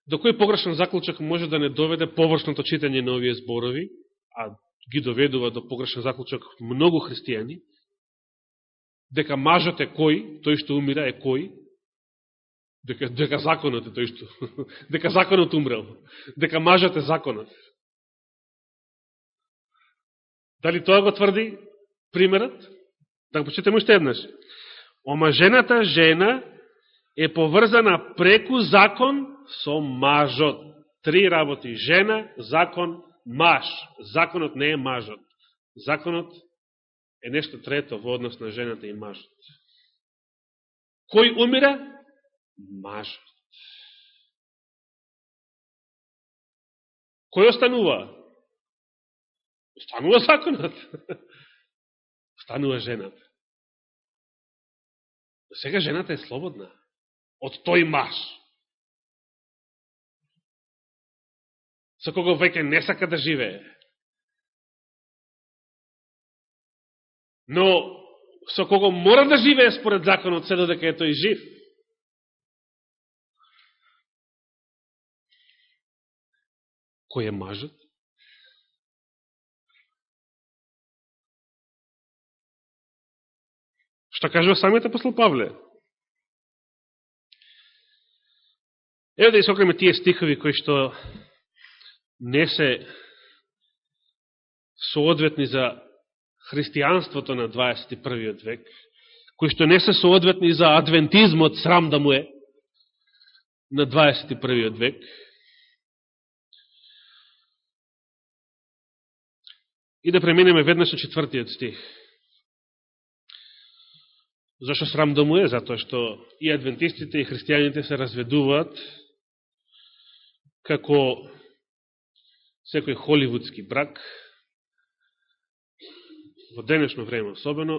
до кој погрешен заклучок може да не доведе површното читање на овие зборови, а ги доведува до погрешен заклучок многу христијани, дека мажот е кој, тој што умира е кој, дека, дека законот е тој што, дека законот умрел, дека мажот е законот. Дали тоа го тврди примерот? Да го почитаме уште еднаш. Омажената жена е поврзана преку закон со мажот. Три работи. Жена, закон, маж. Законот не е мажот. Законот е нешто трето во однос на жената и мажот. Кој умира? Мажот. Кој останува? Останува законот. Останува жената. Сега жената е слободна од тој маж, со кого веќе не сака да живее. Но со кого мора да живее според законот, се додека е тој жив. Кој е мажот? Што кажува самиот апостол Павле? Ево да исокреме тие стихови кои што не се соодветни за христијанството на дваесет и првиот век, кои што не се соодветни за адвентизмот, срам да му е, на дваесет и првиот век. И да преминеме веднаш на четвртиот стих. Зашто срам да му е? Затоа што и адвентистите, и христијаните се разведуваат како секој холивудски брак, во денешно време особено,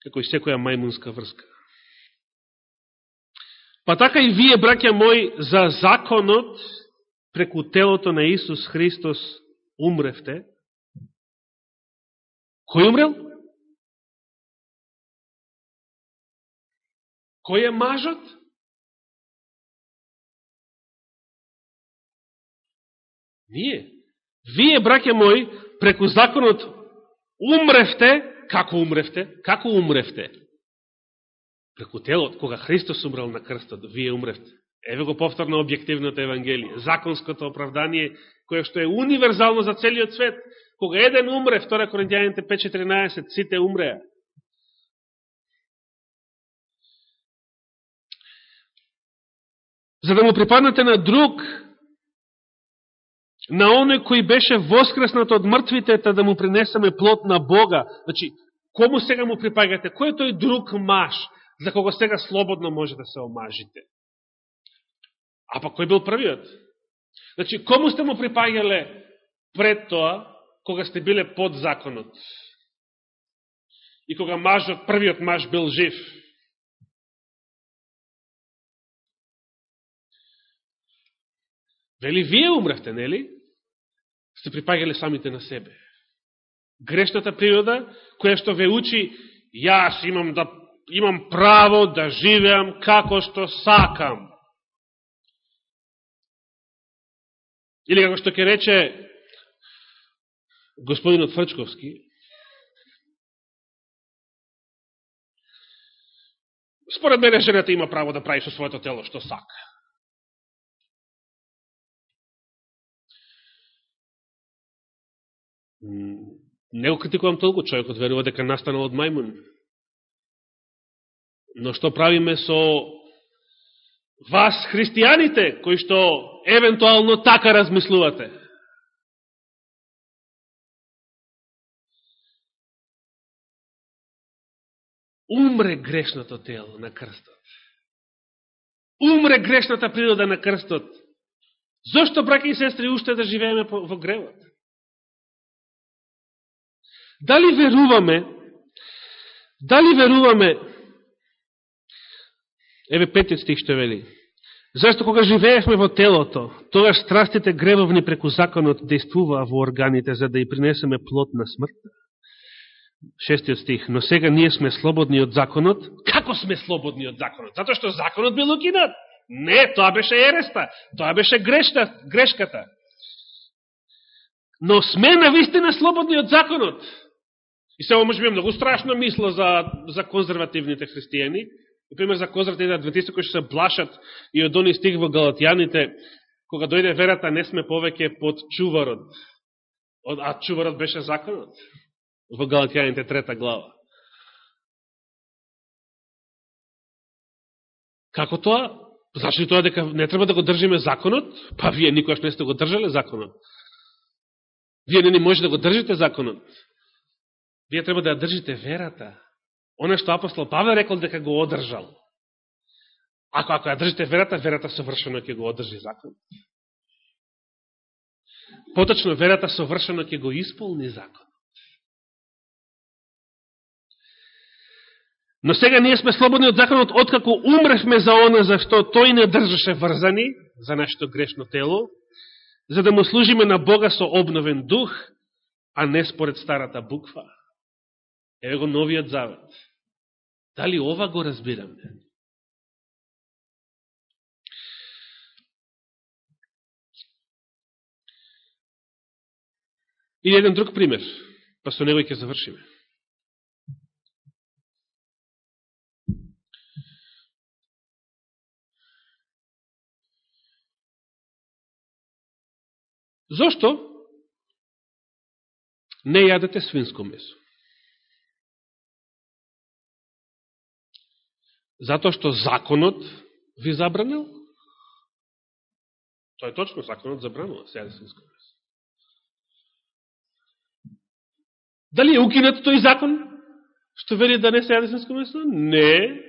како и секоја мајмунска врска. Па така и вие, браќа мои, за законот преку телото на Исус Христос умревте. Кој умрел? Кој е мажот? Вие. Вие, браќа мои, преку законот умревте. Како умревте? Како умревте? Преку телот, кога Христос умрел на крстот, вие умревте. Еве го повторно објективното Евангелие. Законското оправдание, кое што е универзално за целиот свет. Кога еден умре, втора Коринќаните пет четиринаесет, сите умреа. За да му припаднете на друг, на оној кој беше воскреснат од мртвите, да му принесеме плод на Бога. Значи, кому сега му припаѓате? Кој е тој друг маж, за кого сега слободно може да се омажите? А па кој бил првиот? Значи, кому сте му припаѓале пред тоа, кога сте биле под законот? И кога мажот, првиот маж бил жив? Вели, вие умревте, нели? Сте припаѓале самите на себе. Грешната природа, која што ве учи, јас имам, да, имам право да живеам како што сакам. Или како што ќе рече господинот Фрчковски, според мене жената има право да прави со своето тело што сака. Не го критикувам толку, човекот верува дека настанал од мајмун. Но што правиме со вас, христијаните, кои што евентуално така размислувате? Умре грешното тело на крстот. Умре грешната природа на крстот. Зошто, браќи и сестри, уште да живееме во гревот? Дали веруваме, дали веруваме, еве петиот стих што вели, зашто кога живеевме во телото, тогаш страстите гревовни преку законот действуваа во органите, за да ја принесеме плод на смртта. Шестиот стих, но сега ние сме слободни од законот. Како сме слободни од законот? Затоа што законот бил укинат. Не, тоа беше ереста, тоа беше грешта, грешката. Но сме навистина слободни од законот. И сега може би многу страшно мисла за, за конзервативните христијани. Например, за конзервативните адвентисти кои што се блашат и од оној стих во Галатјаните, кога дојде верата, не сме повеќе под чуварот. А чуварот беше законот. Во Галатјаните трета глава. Како тоа? Значи тоа дека не треба да го држиме законот? Па вие никош не сте го држале законот. Вие не ни може да го држите законот. Вие треба да ја држите верата. Оно што апостол Павле рекол дека го одржал. Ако, ако ја држите верата, верата совршено ќе го одржи закон. Поточно, верата совршено ќе го исполни закон. Но сега ние сме слободни од законот, откако умревме за она за што тој не држаше врзани, за нашето грешно тело, за да му служиме на Бога со обновен дух, а не според старата буква. Еве го новиот завет. Дали ова го разбираме? И еден друг пример, па со него ќе завршиме. Зошто не јадете свинско месо? Затоа што законот ви забранил? Тоа е точно, законот забранува се јаде свинско месо. Дали е укинат тој закон што вели да не се јаде свинско месо? Не.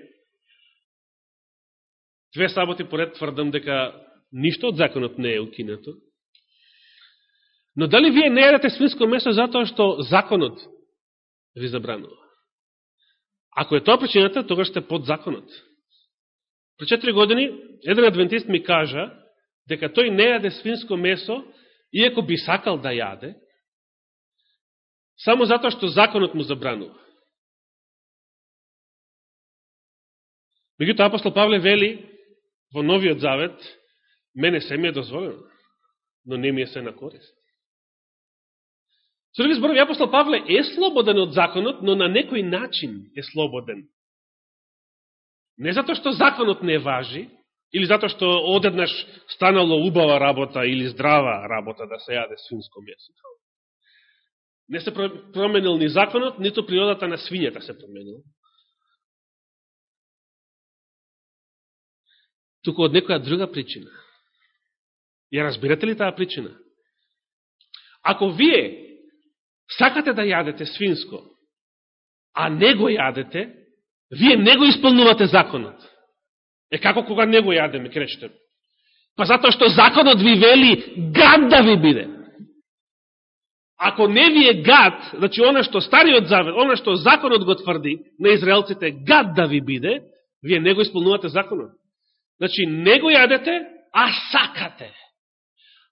Две саботи поред тврдам дека ништо од законот не е укинато. Но дали вие не јадете свинско месо затоа што законот ви забранува? Ако е тоа причината, тогаш сте под законот. Пред четири години еден адвентист ми кажа дека тој не јаде свинско месо, иако би сакал да јаде, само затоа што законот му забранува. Меѓутоа апостол Павле вели во Новиот Завет, мене се ми е дозволено, но не ми е се на корист. Со други зборови, апостол Павле е слободен од законот, но на некој начин е слободен. Не затоа што законот не важи, или затоа што одеднаш станало убава работа или здрава работа да се јаде свинско месо. Не се променил ни законот, ниту природата на свињата се променил. Туку од некоја друга причина. Ја разбирате ли таа причина? Ако вие сакате да јадете свинско, а не го јадете, вие не го исполнувате законот. Е како кога не го јадеме, кречете? Па затоа што законот ви вели гад да ви биде. Ако не ви е гад, значи она што Стариот Завет, она што законот го тврди на израелците гад да ви биде, вие не го исполнувате законот. Значи не го јадете, а сакате.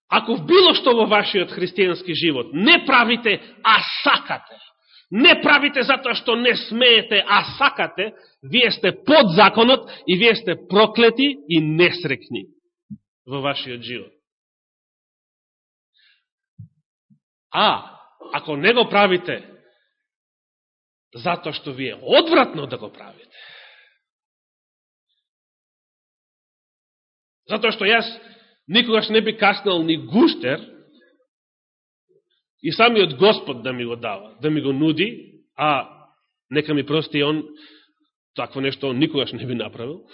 Ако в било што во вашиот христијански живот не правите, а сакате, не правите затоа што не смеете, а сакате, вие сте под законот и вие сте проклети и несрекни во вашиот живот. А, ако не го правите затоа што ви е одвратно да го правите, затоа што јас никогаш не би каснал ни гуштер и самиот Господ да ми го дава, да ми го нуди, а нека ми прости он, такво нешто он никогаш не би направил.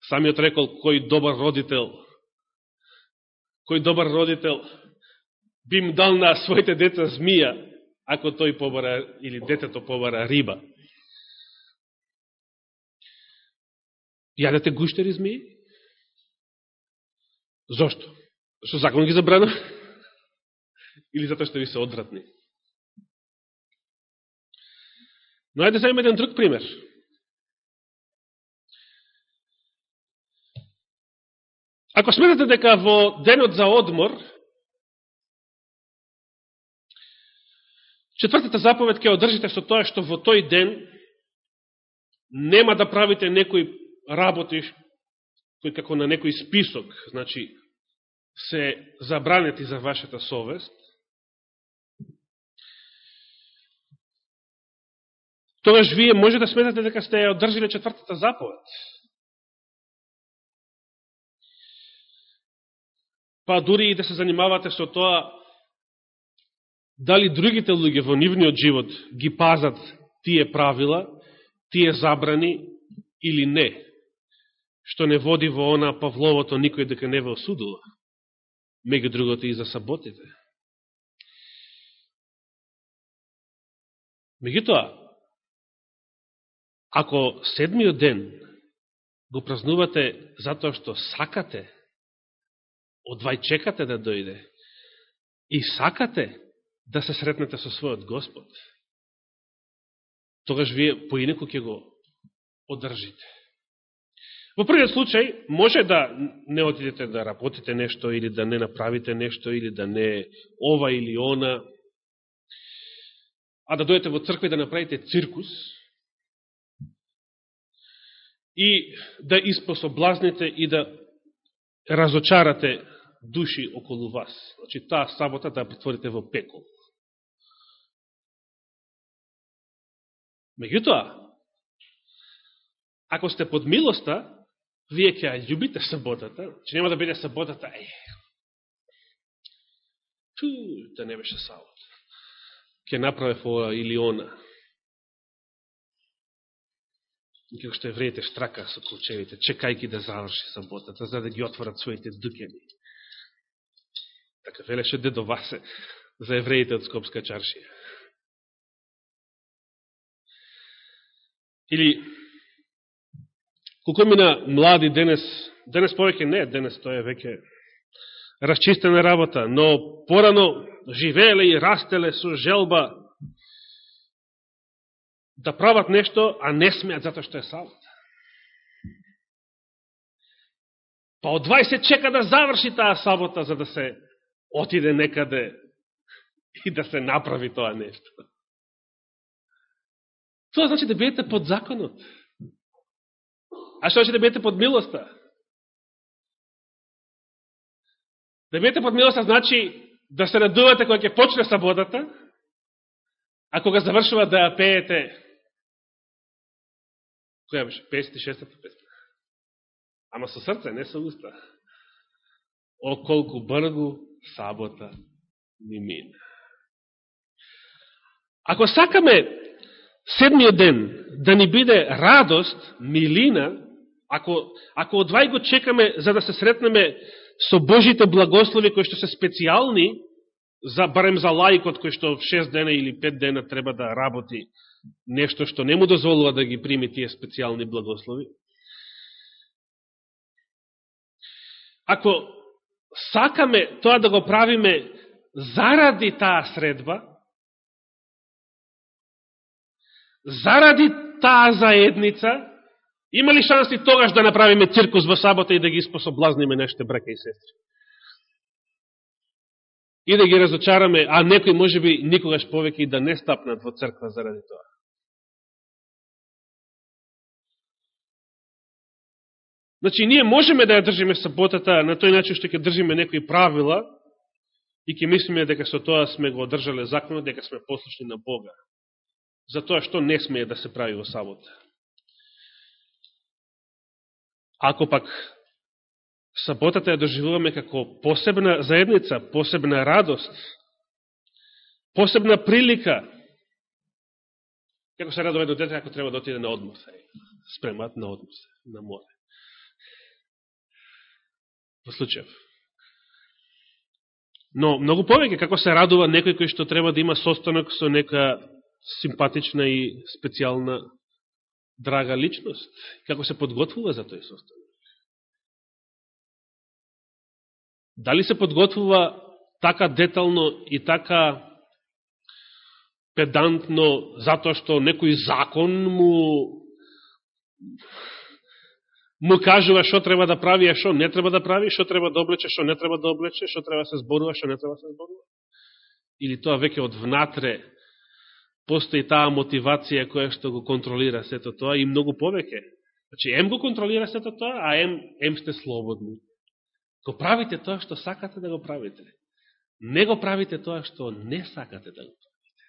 Самиот рекол, кој добар родител, кој добар родител би им дал на своите деца змија, ако тој побара, или детето побара риба. Јадете гуштери змии? Зошто? Што закон ги забрана? Или затоа што ви се одвратни? Но ајде да еден друг пример. Ако сметате дека во денот за одмор, четвртата заповед ќе одржите со тоа што во тој ден нема да правите некои работи кои како на некој список, значи, се забранети за вашата совест, тогаш вие може да сметате дека сте ја одржиле четвртата заповед. Па дури и да се занимавате со тоа дали другите луѓе во нивниот живот ги пазат тие правила, тие забрани или не, што не води во она Павловото никој дека не ве осудува, меѓу другото и за саботите. Меѓутоа, ако седмиот ден го празнувате затоа што сакате, одвај чекате да дојде и сакате да се сретнете со својот Господ, тогаш вие поинеко ќе го одржите. Во првиот случај, може да не отидете да работите нешто, или да не направите нешто, или да не ова или она, а да дојдете во црква и да направите циркус, и да испособлазните и да разочарате души околу вас. Значи, таа сабота да претворите во пекол. Меѓутоа, ако сте под милоста, вие ќе ја љубите саботата, че нема да биде саботата, е, Ту, да не беше сабот. Ке направев ова или она. И како што евреите штрака со клучевите, чекајки да заврши саботата, за да ги отворат своите дукени. Така велеше дедо Васе за евреите од Скопска чаршија. Или, колко мина млади денес, денес повеќе не, денес тоа е веќе расчистена работа, но порано живееле и растеле со желба да прават нешто, а не смеат затоа што е сабот. Па од дваесет чека да заврши таа сабота за да се отиде некаде и да се направи тоа нешто. Тоа значи да бидете под законот. А што значи да бидете под милоста? Да бидете под милоста значи да се радувате кога ќе почне саботата, а кога завршува да ја пеете, која беше? песет и шестата песна. Ама со срце, не со уста. О, колку бргу сабота ни мина. Ако сакаме седмиот ден да ни биде радост, милина, ако, ако одвај го чекаме за да се сретнеме со Божите благослови кои што се специјални, за, барем за лаикот кој што в шест дена или пет дена треба да работи нешто што не му дозволува да ги прими тие специјални благослови. Ако сакаме тоа да го правиме заради таа средба, заради таа заедница, има ли шанси тогаш да направиме циркус во сабота и да ги способлазниме нашите браќа и сестри? И да ги разочараме, а некои можеби никогаш повеќе и да не стапнат во црква заради тоа. Значи, ние можеме да ја држиме саботата на тој начин што ќе држиме некои правила и ќе мислиме дека со тоа сме го одржале законот, дека сме послушни на Бога. За тоа што не смее да се прави во сабота. Ако пак саботата ја доживуваме како посебна заедница, посебна радост, посебна прилика, како се радува едно дете ако треба да отиде на одмор, спремат на одмор, на море. Во случајов. Но многу повеќе како се радува некој кој што треба да има состанок со нека симпатична и специјална драга личност, како се подготвува за тој состанок. Дали се подготвува така детално и така педантно затоа што некој закон му му кажува што треба да прави, а што не треба да прави, што треба да облече, што не треба да облече, што треба да се зборува, што не треба да се зборува? Или тоа веќе од внатре постои таа мотивација која што го контролира сето тоа и многу повеќе. Значи, ем го контролира сето тоа, а ем, ем сте слободни. Го правите тоа што сакате да го правите. Не го правите тоа што не сакате да го правите.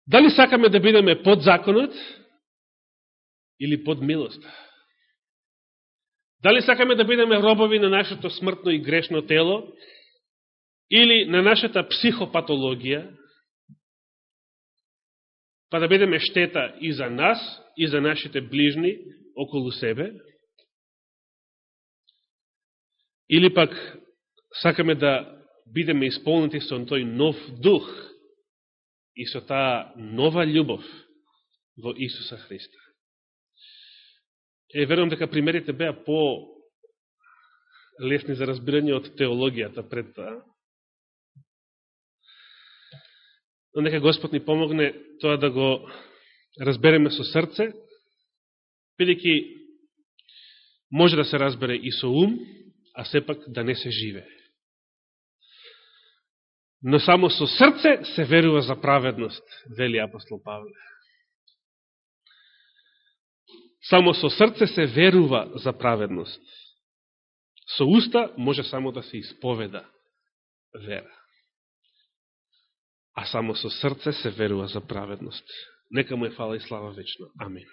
Дали сакаме да бидеме под законот или под милоста? Дали сакаме да бидеме робови на нашето смртно и грешно тело или на нашата психопатологија, па да бидеме штета и за нас, и за нашите ближни околу себе? Или пак сакаме да бидеме исполнети со тој нов дух и со таа нова љубов во Исуса Христа? Е, верувам дека примерите беа по лесни за разбирање од теологијата пред таа. Но нека Господ ни помогне тоа да го разбереме со срце, бидејќи може да се разбере и со ум, а сепак да не се живее. Но само со срце се верува за праведност, вели апостол Павле. Само со срце се верува за праведност. Со уста може само да се исповеда вера. А само со срце се верува за праведност. Нека му е фала и слава вечно. Амин.